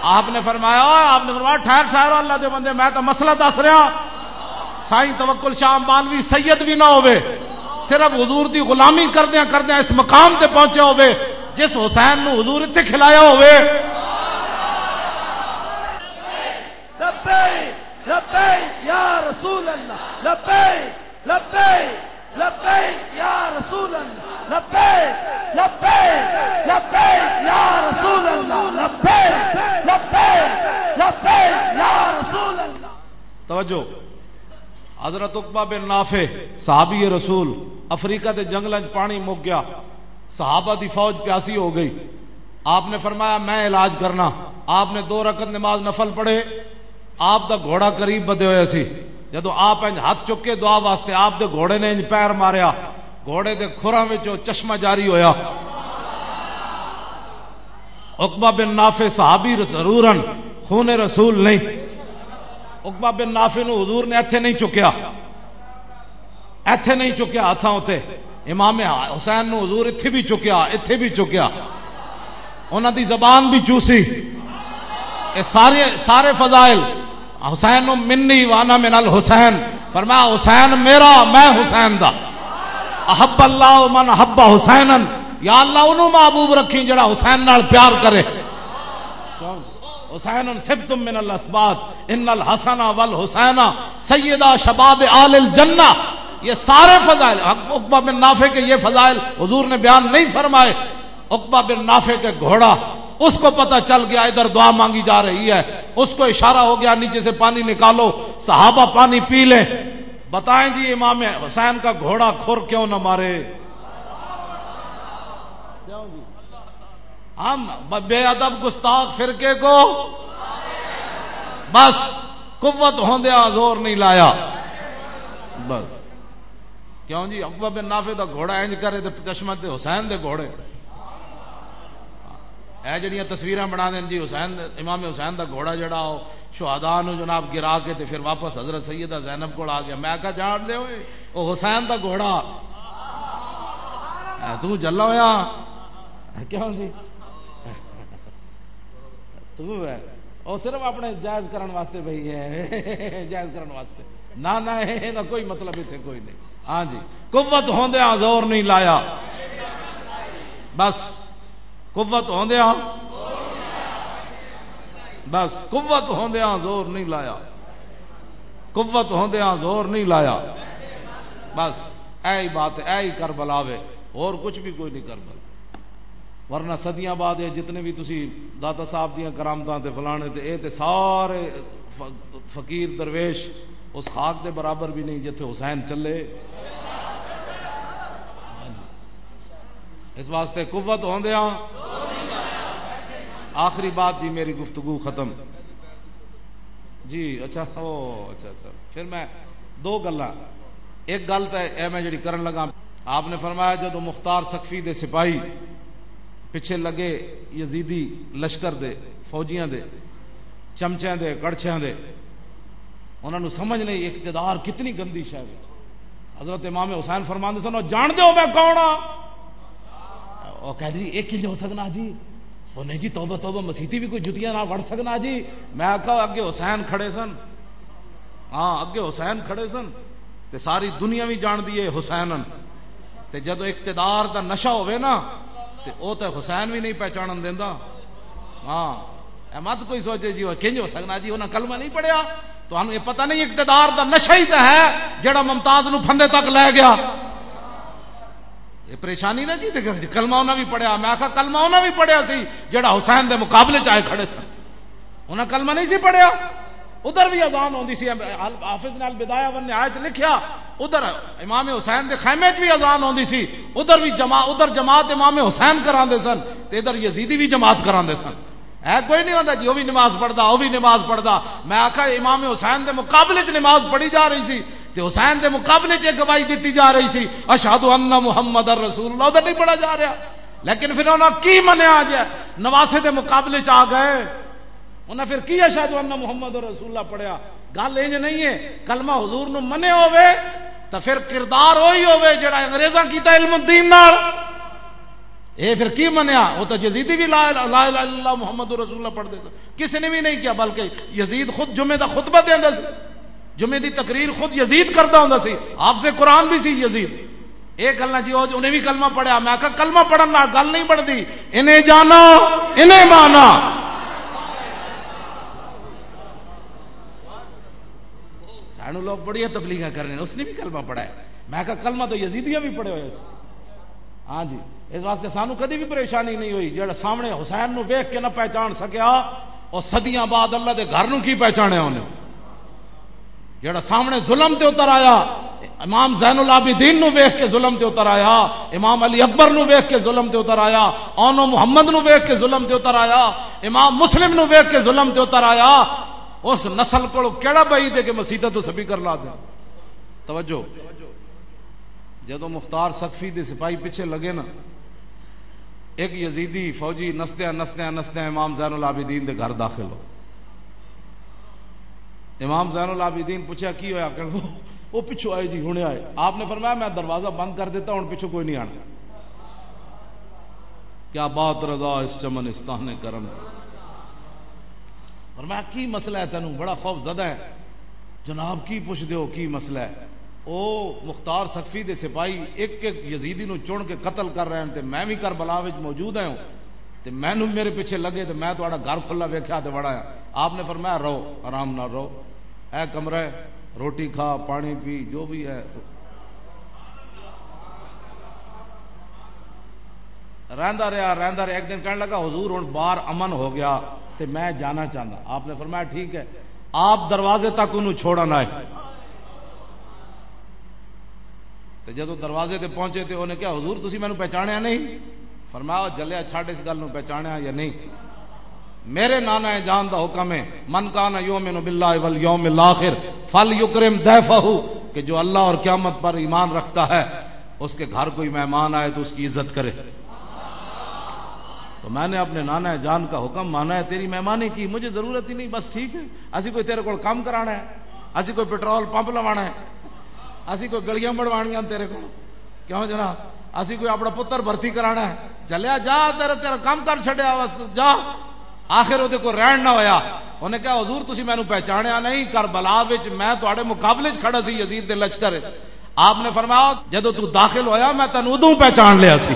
آپ نے فرمایا، آپ نے فرمایا، "ٹھہر، ٹھہر، اللہ دے بندے، میں تو مسئلہ دس رہا۔" سائیں توکل شاہ امبالوی سید بھی نہ ہووے، صرف حضور دی غلامی کردیاں کردیاں اس مقام تے پہنچے ہووے، جس حسین نو حضور اتھے کھلایا ہووے۔ لبیک، لبیک یا رسول اللہ، لبیک، لبیک، لبیک یا رسول اللہ، لبیک، لبیک، لبیک یا رسول اللہ، لبیک، لبیک، لبیک یا رسول اللہ۔ توجہ، حضرت عقبہ بن نافع، صحابی رسول، افریقہ دے جنگلاں وچ پانی مک گیا، صحابہ دی فوج پیاسی ہو گئی۔ آپ نے فرمایا، "میں علاج کرنا۔" آپ نے دو رکعت نماز نفل پڑھے، آپ دا گھوڑا قریب بدے ہوئے سی۔ جدوں آپ انج ہاتھ چکے دعا واسطے، آپ دے گھوڑے نے انج پیر ماریا، گھوڑے دے کھراں وچوں چشمہ جاری ہویا۔ عقبہ بن نافع صحابی ضرور ہن، خون رسول نہیں۔ عقبہ بن نافع نو حضور نے ایتھے نہیں چکیا، ایتھے نہیں چکیا ہاتھاں اتے۔ امام حسین نو حضور اتھے بھی چکیا، اتھے بھی چکیا، انہاں دی زبان بھی چوسی۔ اے سارے، سارے فضائل، "حسین منی وانا من الحسین"، فرمایا، "حسین میرا، میں حسین دا۔" "احب اللہ من احب حسینا"، یا اللہ انہوں محبوب رکھی جڑا حسین نال پیار کرے۔ کیوں؟ "حسین سبت من الاسباط، ان الحسن والحسین سیدا شباب آل الجنہ۔" یہ سارے فضائل، عقبہ بن نافع کے یہ فضائل حضور نے بیان نہیں فرمائے۔ عقبہ بن نافع کے گھوڑا، اس کو پتہ چل گیا ادھر دعا مانگی جا رہی ہے، اس کو اشارہ ہو گیا، "نیچے سے پانی نکالو۔" صحابہ پانی پی لیں۔ بتائیں جی، امام حسین کا گھوڑا کھر کیوں نہ مارے؟ ہم بے ادب گستاخ فرقے کو بس قوت ہوندیا زور نہیں لایا۔ بس کیوں جی، عقبہ بن نافع دا گھوڑا انج کرے تے چشمہ تے حسین دے گھوڑے۔ اے جڑیاں تصویراں بنا دین جی، حسین، امام حسین دا گھوڑا جڑا، او شہداء نو جناب گرا کے تے پھر واپس حضرت سیدہ زینب کول آ گیا۔ میں کہا، "جان دے ہوئے، او حسین دا گھوڑا۔" اے توں جلا ہویا۔ کیوں جی؟ تو ہے، وہ صرف اپنے جائز کرن واسطے بھئی ہے۔ جائز کرن واسطے۔ نہ، نہ، یہ دا کوئی مطلب اتنے کوئی نہیں۔ ہاں جی، قوت ہوندیاں زور نہیں لایا۔ بس، قوت ہوندیاں، بس، قوت ہوندیاں زور نہیں لایا۔ قوت ہوندیاں زور نہیں لایا۔ بس، اے ہی بات ہے، اے ہی کربلا وے، اور کچھ بھی کوئی نہیں کربلا۔ ورنہ صدیاں بعد یہ جتنے بھی تسی داتا صاحب دیاں کرامتاں تے فلانے تے، اے تے سارے ف-، فقیر درویش اس خاک دے برابر بھی نہیں جتھے حسین چلے۔ اس واسطے قوت ہوندیاں، آخری بات جی، میری گفتگو ختم۔ جی، اچھا، او، اچھا، اچھا۔ پھر میں دو گلاں، ایک گل تے اے میں جڑی کرن لگا، آپ نے فرمایا، جدوں مختار سقفی دے سپاہی پچھے لگے یزیدی لشکر دے، فوجیاں دے، چمچیاں دے، کڑچھیاں دے، انہاں نوں سمجھ نہیں اقتدار کتنی گندی شے ہے۔ حضرت امام حسین فرماندے سن، "او جان دے ہو میں کون ہاں؟" او کہہ دی، "اے کیویں ہو سکنا جی؟" او نہیں جی، توبہ توبہ، مسیتی بھی کوئی جتیاں نہ وڑ سکنا جی۔ میں آکھا، اگے حسین کھڑے سن۔ ہاں، اگے حسین کھڑے سن تے ساری دنیا بھی جان دی ہے حسین ہن۔ تے جدوں اقتدار دا نشہ ہوے نا، تے او تے حسین بھی نہیں پہچانن دیندا۔ ہاں، اے مت کوئی سوچے جی، او کنج ہو سکنا جی، انہاں کلمہ نہیں پڑھیا۔ تانوں یہ پتہ نہیں، اقتدار دا نشہ ہی تے ہے جڑا ممتاز نو پھندے تک لے گیا۔ یہ پریشانی نہ جی، تے کلمہ انہاں بھی پڑھیا۔ میں آکھا، کلمہ انہاں بھی پڑھیا سی جڑا حسین دے مقابلے چ آئے کھڑے سن۔ انہاں کلمہ نہیں سی پڑھیا۔ ادھر بھی اذان ہوندی سی، حافظ نے البدایہ والنہایہ چ لکھیا، ادھر امام حسین دے خیمے چ بھی اذان ہوندی سی، ادھر بھی جما-، ادھر جماعت امام حسین کراندے سن تے ادھر یزیدی بھی جماعت کراندے سن۔ ہے کوئی نہیں ہوندا جی، او بھی نماز پڑھدا، او بھی نماز پڑھدا۔ میں آکھا، امام حسین دے مقابلے چ نماز پڑھی جا رہی سی تے حسین دے مقابلے چ ایک گواہی دتی جا رہی سی، "اشہد ان محمد رسول اللہ"، ادھر نہیں پڑھا جا رہا۔ لیکن پھر انہاں کی منیا جے؟ نواسے دے مقابلے چ آ گئے۔ انہاں پھر کی اشہد ان محمد رسول اللہ پڑھیا؟ گل انج نہیں ہے، کلمہ حضور نو منیا ہوے تاں پھر کردار وہی ہوے جڑا انگریزاں کیتا علم الدین نال۔ اے پھر کی منیا؟ او تاں یزیدی بھی لا الہ، لا الہ الا اللہ محمد رسول اللہ پڑھدے سن، کسی نے بھی نہیں کیا، بلکہ یزید خود جمعے دا خطبہ دیندا سی، جمعے دی تقریر خود یزید کردا ہوندا سی، حافظ قرآن بھی سی یزید۔ اے گلاں جی، او انہیں بھی کلمہ پڑھیا۔ میں آکھا، کلمہ پڑھن نال گل نہیں بنتی، انہیں جانا، انہیں مانا۔ سانو لوگ بڑیاں تبلیغاں کرنے، اس نے بھی کلمہ پڑھا ہے۔ میں کہا، کلمہ تو یزیدیاں بھی پڑھے ہوئے سی۔ ہاں جی، اس واسطے سانو کدی بھی پریشانی نہیں ہوئی۔ جڑا سامنے حسین نو ویکھ کے نہ پہچان سکیا، او صدیاں بعد اللہ دے گھر نو کی پہچانے انہیں؟ جڑا سامنے ظلم تے اتر آیا، امام زین العابدین نو ویکھ کے ظلم تے اتر آیا، امام علی اکبر نو ویکھ کے ظلم تے اتر آیا، اونو محمد نو ویکھ کے ظلم تے اتر آیا، امام مسلم نو ویکھ کے ظلم تے اتر آیا، اس نسل کولوں کیڑا بعید ہے کہ مسیتاں تو سپیکر لا دے؟ توجہ۔ جدوں مختار سقفی دے سپاہی پیچھے لگے نا، ایک یزیدی فوجی نسدیاں، نسدیاں، نسدیاں امام زین العابدین دے گھر داخل ہو۔ امام زین العابدین پوچھا، "کی ہویا؟" کہ وہ، وہ پچھوں آئے جی، ہنے آئے۔ آپ نے فرمایا، "میں دروازہ بند کر دیتا، ہن پچھوں کوئی نہیں آنا۔" کیا بات رضا اس چمنستان کرم۔ فرمایا، "کی مسئلہ ہے تینوں؟ بڑا خوف زدہ ہے۔" "جناب، کی پوچھدے ہو، کی مسئلہ ہے؟" "او مختار سقفی دے سپاہی ایک ایک یزیدی نو چن کے قتل کر رہے ہیں، تے میں بھی کربلا وچ موجود ہوں، تے مینوں میرے پیچھے لگے، تے میں تہاڈا گھر کھلا ویکھیا تے وڑا آیا۔" آپ نے فرمایا، "رہو، آرام نال رہو، اے کمرہ ہے، روٹی کھا، پانی پی، جو بھی ہے۔" رہندا رہیا، رہندا رہیا۔ ایک دن کہنے لگا، "حضور، ہن باہر امن ہو گیا تے میں جانا چاہندا۔" آپ نے فرمایا، "ٹھیک ہے۔" آپ دروازے تک انہوں چھوڑن آئے۔ تے جدوں دروازے تے پہنچے تے انہیں کہا، "حضور، تسی مینوں پہچانیا نہیں؟" فرمایا، "او جلیا، چھڈ اس گل نوں، پہچانیا یا نہیں۔ میرے نانا جان دا حکم ہے، من کان یؤمن باللہ والیوم الاخر فلیکرم ضیفہ، کہ جو اللہ اور قیامت پر ایمان رکھتا ہے، اس کے گھر کوئی مہمان آئے تو اس کی عزت کرے۔" تو میں نے اپنے نانا جان کا حکم مانا ہے، تیری مہمانی کی مجھے ضرورت ہی نہیں، بس ٹھیک ہے، اسی کوئی تیرے کول کام کرانا ہے، اسی کوئی پٹرول پمپ لوانا ہے، اسی کوئی گلیاں بنوانیاں تیرے کول، کیوں جناب؟ اسی کوئی اپنا پتر بھرتی کرانا ہے، چلیا جا، تیرا، تیرا کام کر چھڈیا، بس جا۔ آخر وہ کو رہن نہ ہویا۔ انہیں کہا، "حضور، تسی مینوں پہچانیا نہیں، کربلا وچ میں تہاڈے مقابلے وچ کھڑا سی یزید دے لشکر وچ۔" آپ نے فرمایا، "جدوں تو داخل ہویا، میں تینوں ادوں پہچان لیا سی۔"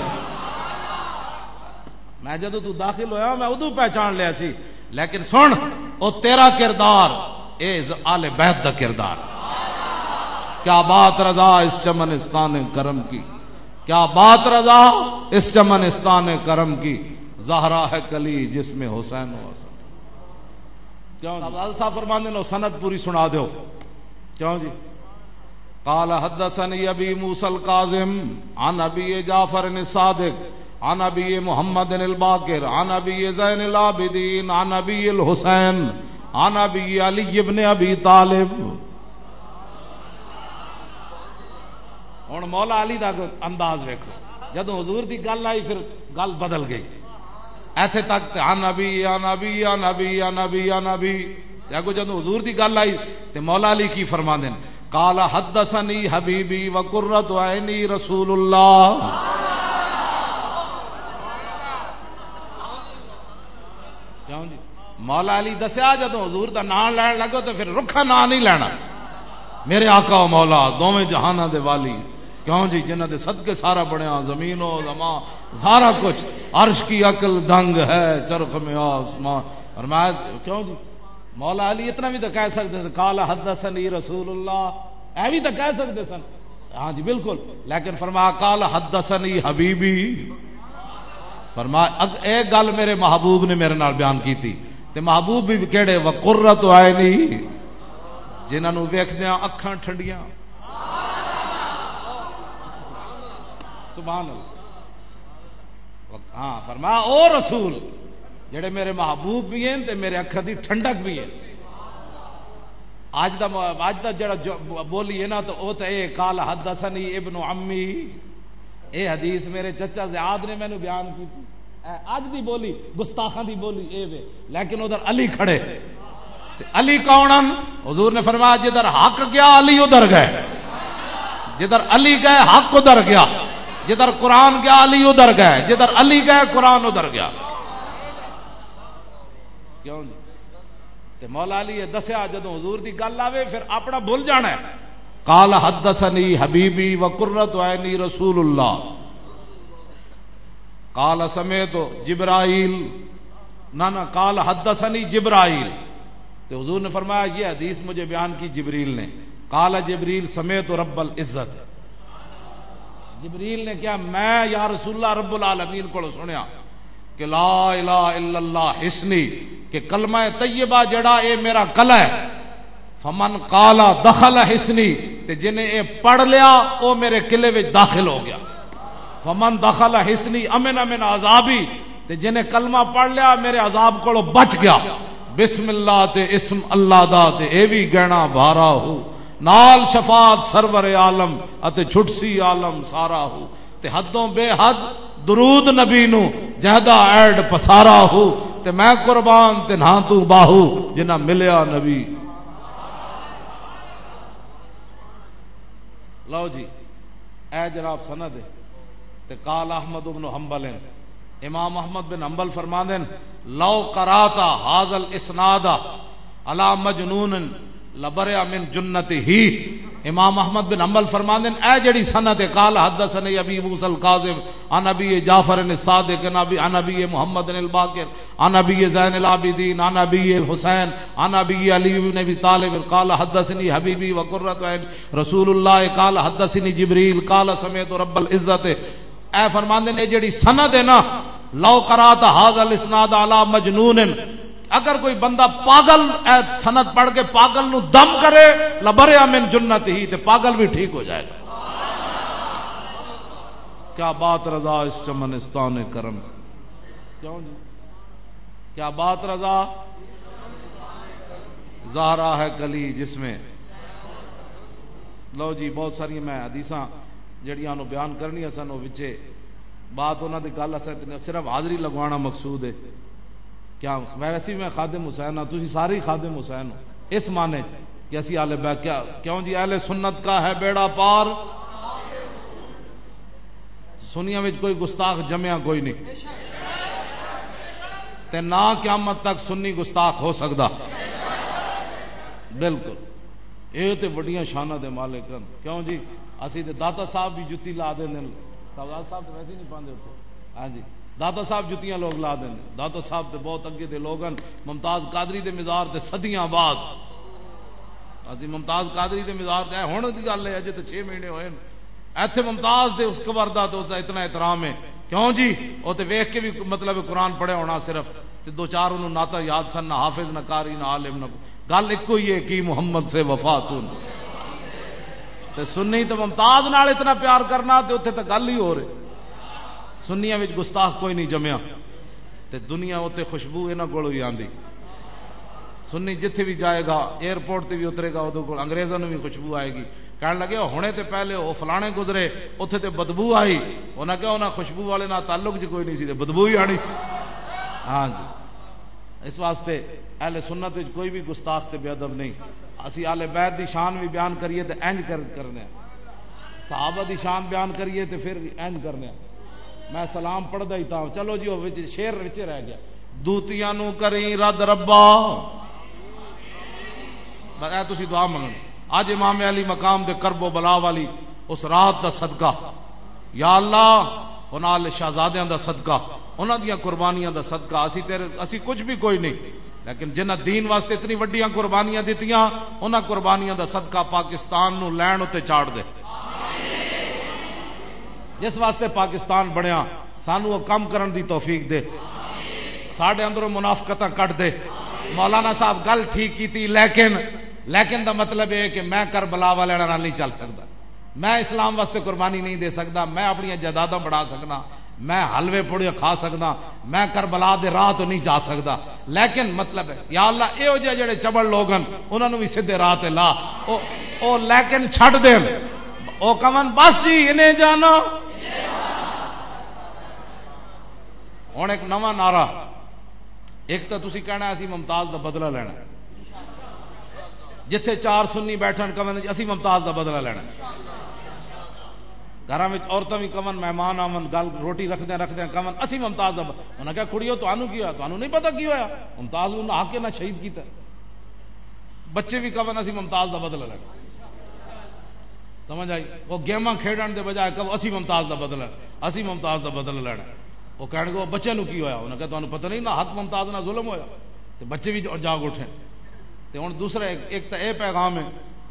میں جدوں تو داخل ہویا، میں ادوں پہچان لیا سی۔ لیکن سن، او تیرا کردار، اے ز-، آل بیت دا کردار۔ کیا بات رضا اس چمنستان کرم کی، کیا بات رضا اس چمنستان کرم کی، زہرا ہے کلی جس میں حسین و حسن۔ کیوں جی؟ استاد صاحب فرماندے نے، سند پوری سنا دیو۔ کیوں جی؟ قال حدثني ابي موسى الكاظم عن ابي جعفر الصادق عن ابي محمد الباقر عن ابي زين العابدين عن ابي الحسين عن ابي علي بن ابي طالب۔ ہن مولا علی دا انداز ویکھو، جدوں حضور دی گل آئی، پھر گل بدل گئی۔ ایتھے تک تے عن ابی، عن ابی، عن ابی، عن ابی، عن ابی۔ تے اگوں جدوں حضور دی گل آئی، تے مولا علی کی فرماندے نے؟ قال حدثني حبيبي وقرة عيني رسول الله۔ کیوں جی؟ مولا علی دسیا، جدوں حضور دا نام لین لگو تے پھر رکھا نام نہیں لینا۔ میرے آقا و مولا، دوویں جہاناں دے والی، کیوں جی، جنہاں دے صدقے سارا بنیا، زمین و زمان، سارا کچھ، عرش کی عقل دنگ ہے، چرخ میں آسمان۔ فرمایا، کیوں جی، مولا علی اتنا بھی تو کہہ سکتے سن، "قال حدثني رسول اللہ"، اے بھی تو کہہ سکتے سن۔ ہاں جی، بالکل۔ لیکن فرمایا، "قال حدثني حبيبي"، فرمایا، اگ-، اے گل میرے محبوب نے میرے نال بیان کیتی۔ تے محبوب بھی کہڑے؟ "وقرۃ عینی"، جنہاں نوں ویکھدیاں اکھاں ٹھنڈیاں۔ سبحان اللہ۔ ہاں، فرمایا، او رسول جڑے میرے محبوب بھی ہیں تے میرے اکھاں دی ٹھنڈک بھی ہے۔ اج دا م-، اج دا جڑا جو ب-، بولی ہے نا، تو او تے اے، "قال حدثني ابن عمي"، اے حدیث میرے چچا زیاد نے مینوں بیان کیتی۔ اے اج دی بولی، گستاخاں دی بولی اے وے، لیکن ادھر علی کھڑے۔ تے علی کون ہن؟ حضور نے فرمایا، "جدھر حق گیا، علی ادھر گئے۔" جدھر علی گئے، حق ادھر گیا۔ جدھر قرآن گیا، علی ادھر گئے۔ جدھر علی گئے، قرآن ادھر گیا۔ کیوں جی؟ تے مولا علی یہ دسیا، جدوں حضور دی گل آوے، پھر اپنا بھول جانا ہے۔ "قال حدثني حبيبي وقرة عيني رسول الله۔ قال سمعت جبرائيل"، نہ، نہ، "قال حدثني جبرائيل"۔ تے حضور نے فرمایا، "یہ حدیث مجھے بیان کی جبریل نے۔" "قال جبريل سمعت رب العزت"، جبریل نے کہا، "میں یا رسول اللہ رب العالمین کو سنیا کہ لا الہ الا اللہ حصنی، کہ کلمہ طیبہ جڑا، اے میرا قلعہ ہے۔ فمن قال دخل حصنی"، تے جنہیں اے پڑھ لیا، او میرے قلعے وچ داخل ہو گیا۔ "فمن دخل حصنی امن من عذابی"، تے جنہیں کلمہ پڑھ لیا، میرے عذاب کولوں بچ گیا۔ بسم اللہ تے اسم اللہ دا، تے اے وی گہنا بھارا ہو۔ نال شفاعت سرور عالم، اتے چھٹسی عالم سارا ہو۔ تے حدوں بے حد درود نبی نو، جہدا ایڈ پسارا ہو۔ تے میں قربان تے نہ تو باہو، جنہ ملیا نبی۔ لو جی، اے جناب سند ہے۔ تے قال احمد بن حنبل، امام احمد بن حنبل فرماندے نے، "لو قرات هذا الاسناد على مجنون لبرئ من جنته"۔ امام احمد بن حنبل فرماندے نے، اے جڑی سند ہے، "قال حدثني ابي موسى الكاظم عن ابي جعفر الصادق عن ابي، عن ابي محمد الباقر عن ابي زين العابدين عن ابي الحسين عن ابي علي بن ابي طالب قال حدثني حبيبي وقرة عين رسول الله قال حدثني جبريل قال سمعت رب العزة"۔ اے فرماندے نے، اے جڑی سند ہے نا، "لو قرات هذا الاسناد على مجنون"، اگر کوئی بندہ پاگل اے سند پڑھ کے پاگل نو دم کرے، "لبرئ من جنته"، تے پاگل بھی ٹھیک ہو جائے گا۔ کیا بات رضا اس چمنستان کرم۔ کیوں جی؟ کیا بات رضا؟ زہرا ہے کلی جس میں۔ لو جی، بہت ساری میں حدیثاں جڑیاں نو بیان کرنیاں سن، وہ وچے بات انہاں دی گل اساں اتنی، صرف حاضری لگوانا مقصود ہے۔ کیا ویسے ہی میں خادم حسین ہاں، تسی سارے ہی خادم حسین ہو، اس معنی چ کہ اسی آلے بیت، کیا، کیوں جی، اہل سنت کا ہے بیڑا پار۔ سنیاں وچ کوئی گستاخ جمیا کوئی نہیں۔ تے نہ قیامت تک سنی گستاخ ہو سکدا۔ بالکل۔ اے تے بڑیاں شاناں دے مالک ہن۔ کیوں جی؟ اسی تے داتا صاحب بھی جتی لا دیندے نے۔ سردار صاحب تے ویسے ہی نہیں پاندے اتھے۔ ہاں جی۔ داتا صاحب جتیاں لوگ لا دیندے۔ داتا صاحب تے بہت اگے دے لوگ ہن۔ ممتاز قادری دے مزار تے صدیاں بعد۔ اسی ممتاز قادری دے مزار تے، ہن دی گل ہے، اجے تے چھ مہینے ہوئے نے۔ ایتھے ممتاز دے اس قبر دا تے اس دا اتنا احترام ہے۔ کیوں جی؟ او تے ویکھ کے بھی، مطلب، قرآن پڑھیا ہونا صرف، تے دو چار انہوں نعتاں یاد سن، نہ حافظ، نہ قاری، نہ عالم، نہ، گل اکو ہی ہے کہ محمد سے وفا تو نہیں۔ تے سنی تے ممتاز نال اتنا پیار کرنا، تے اتھے تے گل ہی ہو رہی۔ سنیاں وچ گستاخ کوئی نہیں جمیا۔ تے دنیا اتھے خوشبو انہاں کولوں ہی آندی۔ سنی جتھے بھی جائے گا، ایئرپورٹ تے بھی اترے گا، اودوں کول انگریزاں نوں بھی خوشبو آئے گی۔ کہن لگے، "او ہنے تے پہلے او فلانے گزرے، اتھے تے بدبو آئی۔" انہاں کہا، "انہاں خوشبو والے نال تعلق جی کوئی نہیں سی، تے بدبو ہی آنی سی۔" ہاں جی، اس واسطے اہل سنت وچ کوئی بھی گستاخ تے بے ادب نہیں۔ اسی اہل بیت دی شان بھی بیان کریے تے انج کر، کرنے ہیں۔ صحابہ دی شان بیان کریے تے پھر بھی انج کرنے ہیں۔ میں سلام پڑھدا ہی تاں، چلو جی، او وچ شعر وچ رہ گیا۔ دوتیاں نو کریں رد ربا۔ بس اے تسی دعا منگنی۔ اج امام علی مقام دے کرب و بلا والی اس رات دا صدقہ، یا اللہ، انہاں دے شہزادیاں دا صدقہ، انہاں دیاں قربانیاں دا صدقہ، اسی تیرے، اسی کچھ بھی کوئی نہیں، لیکن جنہاں دین واسطے اتنی وڈیاں قربانیاں دتیاں، انہاں قربانیاں دا صدقہ پاکستان نو لین اتے چاڑ دے۔ جس واسطے پاکستان بنیا، سانو وہ کم کرن دی توفیق دے، ساڈے اندروں منافقتاں کٹ دے۔ مولانا صاحب گل ٹھیک کیتی، لیکن، لیکن دا مطلب یہ کہ میں کربلا والے نال نہیں چل سکدا، میں اسلام واسطے قربانی نہیں دے سکدا، میں اپنی جائیداداں بڑھا سکدا، میں حلوے پوڑے کھا سکدا، میں کربلا دے راہ تو نہیں جا سکدا۔ لیکن مطلب ہے، یا اللہ، اے ہو جے جڑے چبل لوگ ہن، انہاں نوں وی سیدھے راہ تے لا۔ او، او لیکن چھڈ دین۔ او کون، بس جی، انہیں جانا۔ ہن ایک نواں نعرہ، ایک تاں تسی کہنا اسی ممتاز دا بدلہ لینا، جتھے چار سنی بیٹھن کون جی اسی ممتاز دا بدلہ لینا۔ گھراں وچ عورتاں وی کون، مہمان آون، گل روٹی رکھدیاں رکھدیاں کون، اسی ممتاز دا ب-، انہاں کہا، "کڑیو، تانوں کی ہویا؟ تانوں نہیں پتہ کی ہویا؟ ممتاز نوں نہا کے نہ شہید کیتا۔" بچے وی کون، "اسی ممتاز دا بدلہ لینا۔" سمجھ آئی؟ وہ گیماں کھیڈن دے بجائے کہو، "اسی ممتاز دا بدلہ، اسی ممتاز دا بدلہ لینا۔" وہ کہن گے، "وہ بچے نوں کی ہویا؟" انہاں کہا، "تانوں پتہ نہیں، نہ حق ممتاز نہ ظلم ہویا۔" تے بچے وی جاگ اٹھے۔ تے ہن دوسرا ایک، ایک تاں اے پیغام ہے،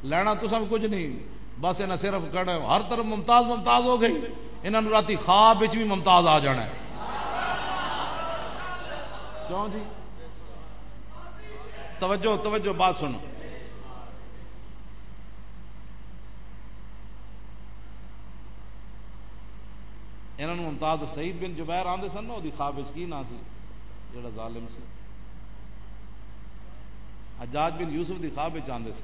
لینا تساں کچھ نہیں، بس انہاں صرف کہنا ہے، ہر طرف ممتاز ممتاز ہو گئی۔ انہاں نوں راتی خواب وچ بھی ممتاز آ جانا ہے۔ کیوں جی؟ توجہ، توجہ، بات سنو۔ انہاں نوں ممتاز سعید بن جبیر آندے سن نا، اوہدی خواب وچ کی نام سی؟ جڑا ظالم سی، حجاج بن یوسف دی خواب وچ آندے سی۔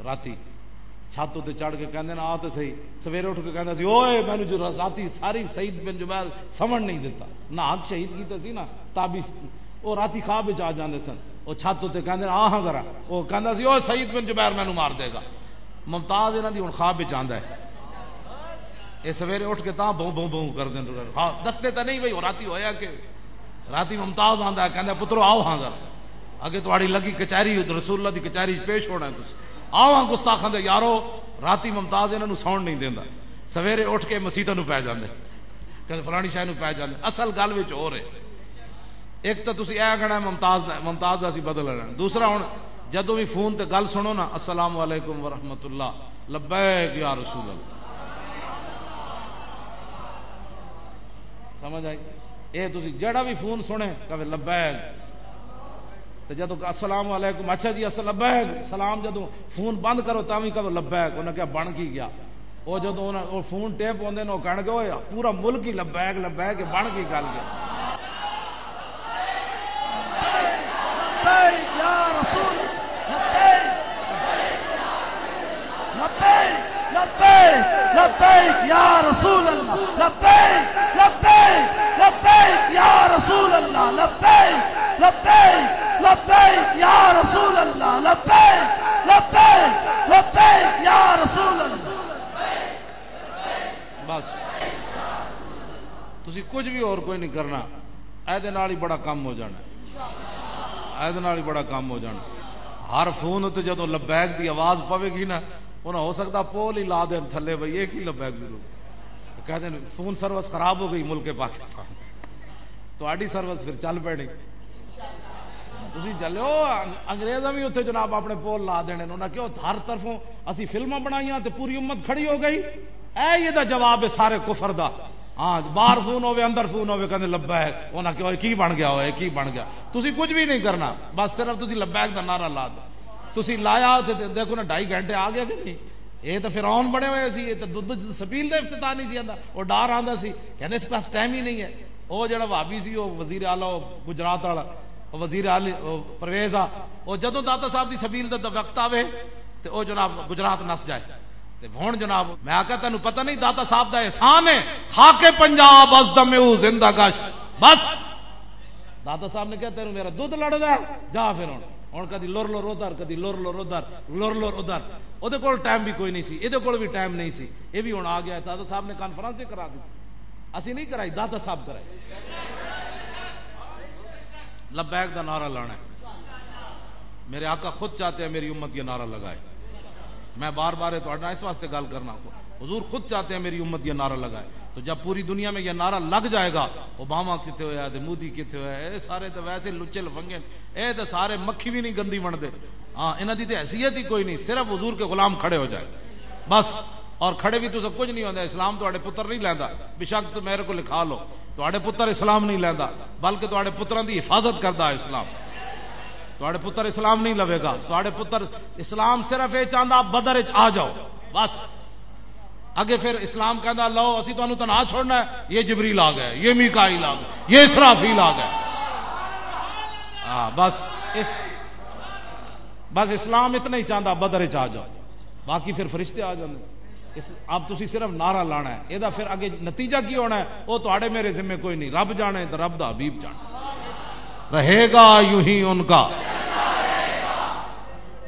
راتی چھت تے چڑھ کے کہندے نے، "آ تے صحیح۔" سویرے اٹھ کے کہندا سی، "اوئے، مینوں جو راتی ساری سعید بن جبیر سمجھ نہیں دیتا، نہ حق شہید کیتا سی نا، تابی سی۔" او راتی خواب وچ آ جاندے سن، او چھت تے کہندے نے، "آ ہاں ذرا۔" او کہندا سی، "اوئے، سعید بن جبیر مینوں مار دے گا۔" ممتاز انہاں دی ہن خواب وچ آندا ہے۔ اے سویرے اٹھ کے تاں بھوں بھوں بھوں کر دین۔ ہاں، دستے تاں نہیں بھئی، او راتی ہویا کہ راتی ممتاز آندا ہے، کہندا، "پترو، آؤ ہاں ذرا، اگے تہاڈی لگی کچہری، رسول اللہ دی کچہری وچ پیش ہونا ہے تسی۔ آؤ ہاں گستاخاں دے یارو۔" راتی ممتاز انہاں نوں سون نہیں دیندا، سویرے اٹھ کے مسیتاں نوں پے جاندے، کہندے، "فلانی شاہ نوں پے جاندے۔" اصل گل وچ ہو رہے۔ ایک تاں تسی اے کہنا ہے ممتاز دا، ممتاز دا اسی بدل لینا۔ دوسرا ہن جدوں وی فون تے گل سنو نا، "السلام علیکم ورحمۃ اللہ، لبیک یا رسول اللہ۔" سمجھ آئی؟ اے تسی جڑا بھی فون سنے، کہے، "لبیک۔" تے جدوں کہ، "السلام علیکم، اچھا جی، السلام لبیک، سلام۔" جدوں فون بند کرو، تاں وی کہو، "لبیک۔" انہاں کہا، "بن کی گیا؟" او جدوں انہاں، او فون ٹیپ ہوندے نے، او کہن گے، "اوئے، پورا ملک ہی لبیک، لبیک، بن کی گل گیا؟" لبیک یا رسول، لبیک، لبیک، لبیک، لبیک یا رسول اللہ، لبیک، لبیک، لبیک یا رسول اللہ، لبیک، لبیک، لبیک یا رسول اللہ، لبیک، لبیک، لبیک یا رسول اللہ۔ بس، تسی کچھ بھی اور کوئی نہیں کرنا۔ اے دے نال ہی بڑا کم ہو جانا ہے۔ اے دے نال ہی بڑا کم ہو جانا۔ ہر فون تے جدوں لبیک دی آواز پوے گی نا، انہاں ہو سکدا پول ہی لا دین تھلے، بھئی، یہ کی لبیک دی رو؟ کہہ دین، فون سروس خراب ہو گئی ملک پاکستان۔ تہاڈی سروس پھر چل پینی۔ تسی چلو، انگ-، انگریزاں بھی اتھے جناب اپنے پول لا دینے نے۔ انہاں کیوں ہر طرفوں اسی فلماں بنائیاں تے پوری امت کھڑی ہو گئی۔ اے یہ دا جواب ہے سارے کفر دا۔ ہاں، باہر فون ہوے، اندر فون ہوے، کہندے لبیک۔ انہاں کہو، "اے کی بن گیا ہوئے، کی بن گیا؟" تسی کچھ بھی نہیں کرنا، بس صرف تسی لبیک دا نعرہ لا دو۔ تسی لایا تے، تے دیکھو نا، ڈھائی گھنٹے آ گیا کہ نہیں؟ یہ تو فرعون بنے ہوئے سی، یہ تو دودھ سبیل دا افتتاح نہیں سی آندا۔ وہ ڈار آندا سی، کہندے، "اس پاس ٹائم ہی نہیں ہے۔" وہ جڑا بھابی سی، وہ وزیر اعلیٰ، وہ گجرات والا، وہ وزیر اعلیٰ، وہ پرویز آ، وہ جدوں داتا صاحب دی سبیل دا وقت آوے، تے او جناب گجرات نس جائے۔ تے ہن جناب، میں آکھیا، "تینوں پتہ نہیں، داتا صاحب دا احسان ہے، خاک پنجاب از دم او زندہ گشت۔" بس، داتا صاحب نے کہا، "تینوں میرا دودھ لڑدا ہے، جا پھر ہن۔" ہن کدی لر لر ادھر، کدی لر لر ادھر، لر لر ادھر۔ اودے کول ٹائم بھی کوئی نہیں سی، ایدے کول بھی ٹائم نہیں سی۔ اے بھی ہن آ گیا، داتا صاحب نے کانفرنس ہی کرا دی۔ اسی نہیں کرائی، داتا صاحب کرائی۔ لبیک دا نعرہ لانا ہے۔ میرے آقا خود چاہتے ہیں میری امت یہ نعرہ لگائے۔ میں بار بار یہ تہاڈے نال اس واسطے گل کرنا، حضور خود چاہتے ہیں میری امت یہ نعرہ لگائے۔ تو جب پوری دنیا میں یہ نعرہ لگ جائے گا، اوباما کتھے ہویا تے مودی کتھے ہویا، اے سارے تے ویسے لچے لفنگے نے، اے تے سارے مکھی بھی نہیں گندی بنتے۔ ہاں، انہاں دی تے حیثیت ہی کوئی نہیں، صرف حضور کے غلام کھڑے ہو جائے بس۔ اور کھڑے بھی تو سب کچھ نہیں ہوتا، اسلام تہاڈے پتر نہیں لیندا۔ بے شک تو میرے کو لکھا لو، تہاڈے پتر اسلام نہیں لیندا، بلکہ تہاڈے پتراں دی حفاظت کردا ہے اسلام۔ تہاڈے پتر اسلام نہیں لوے گا، تہاڈے پتر، اسلام صرف یہ چاہندا، بدر وچ آ جاؤ بس۔ اگے پھر اسلام کہندا، "لو، اسی تانوں تنہا چھوڑنا ہے، یہ جبریل آ گئے، یہ میکائیل آ گئے، یہ اسرافیل آ گئے۔" ہاں، بس اس، بس اسلام اتنا ہی چاہندا، بدر وچ آ جاؤ، باقی پھر فرشتے آ جاندے۔ اس، اب تسی صرف نعرہ لانا ہے، اے دا پھر اگے نتیجہ کی ہونا ہے، او تہاڈے میرے ذمے کوئی نہیں، رب جانے تے رب دا حبیب جانے۔ رہے گا یوں ہی ان کا۔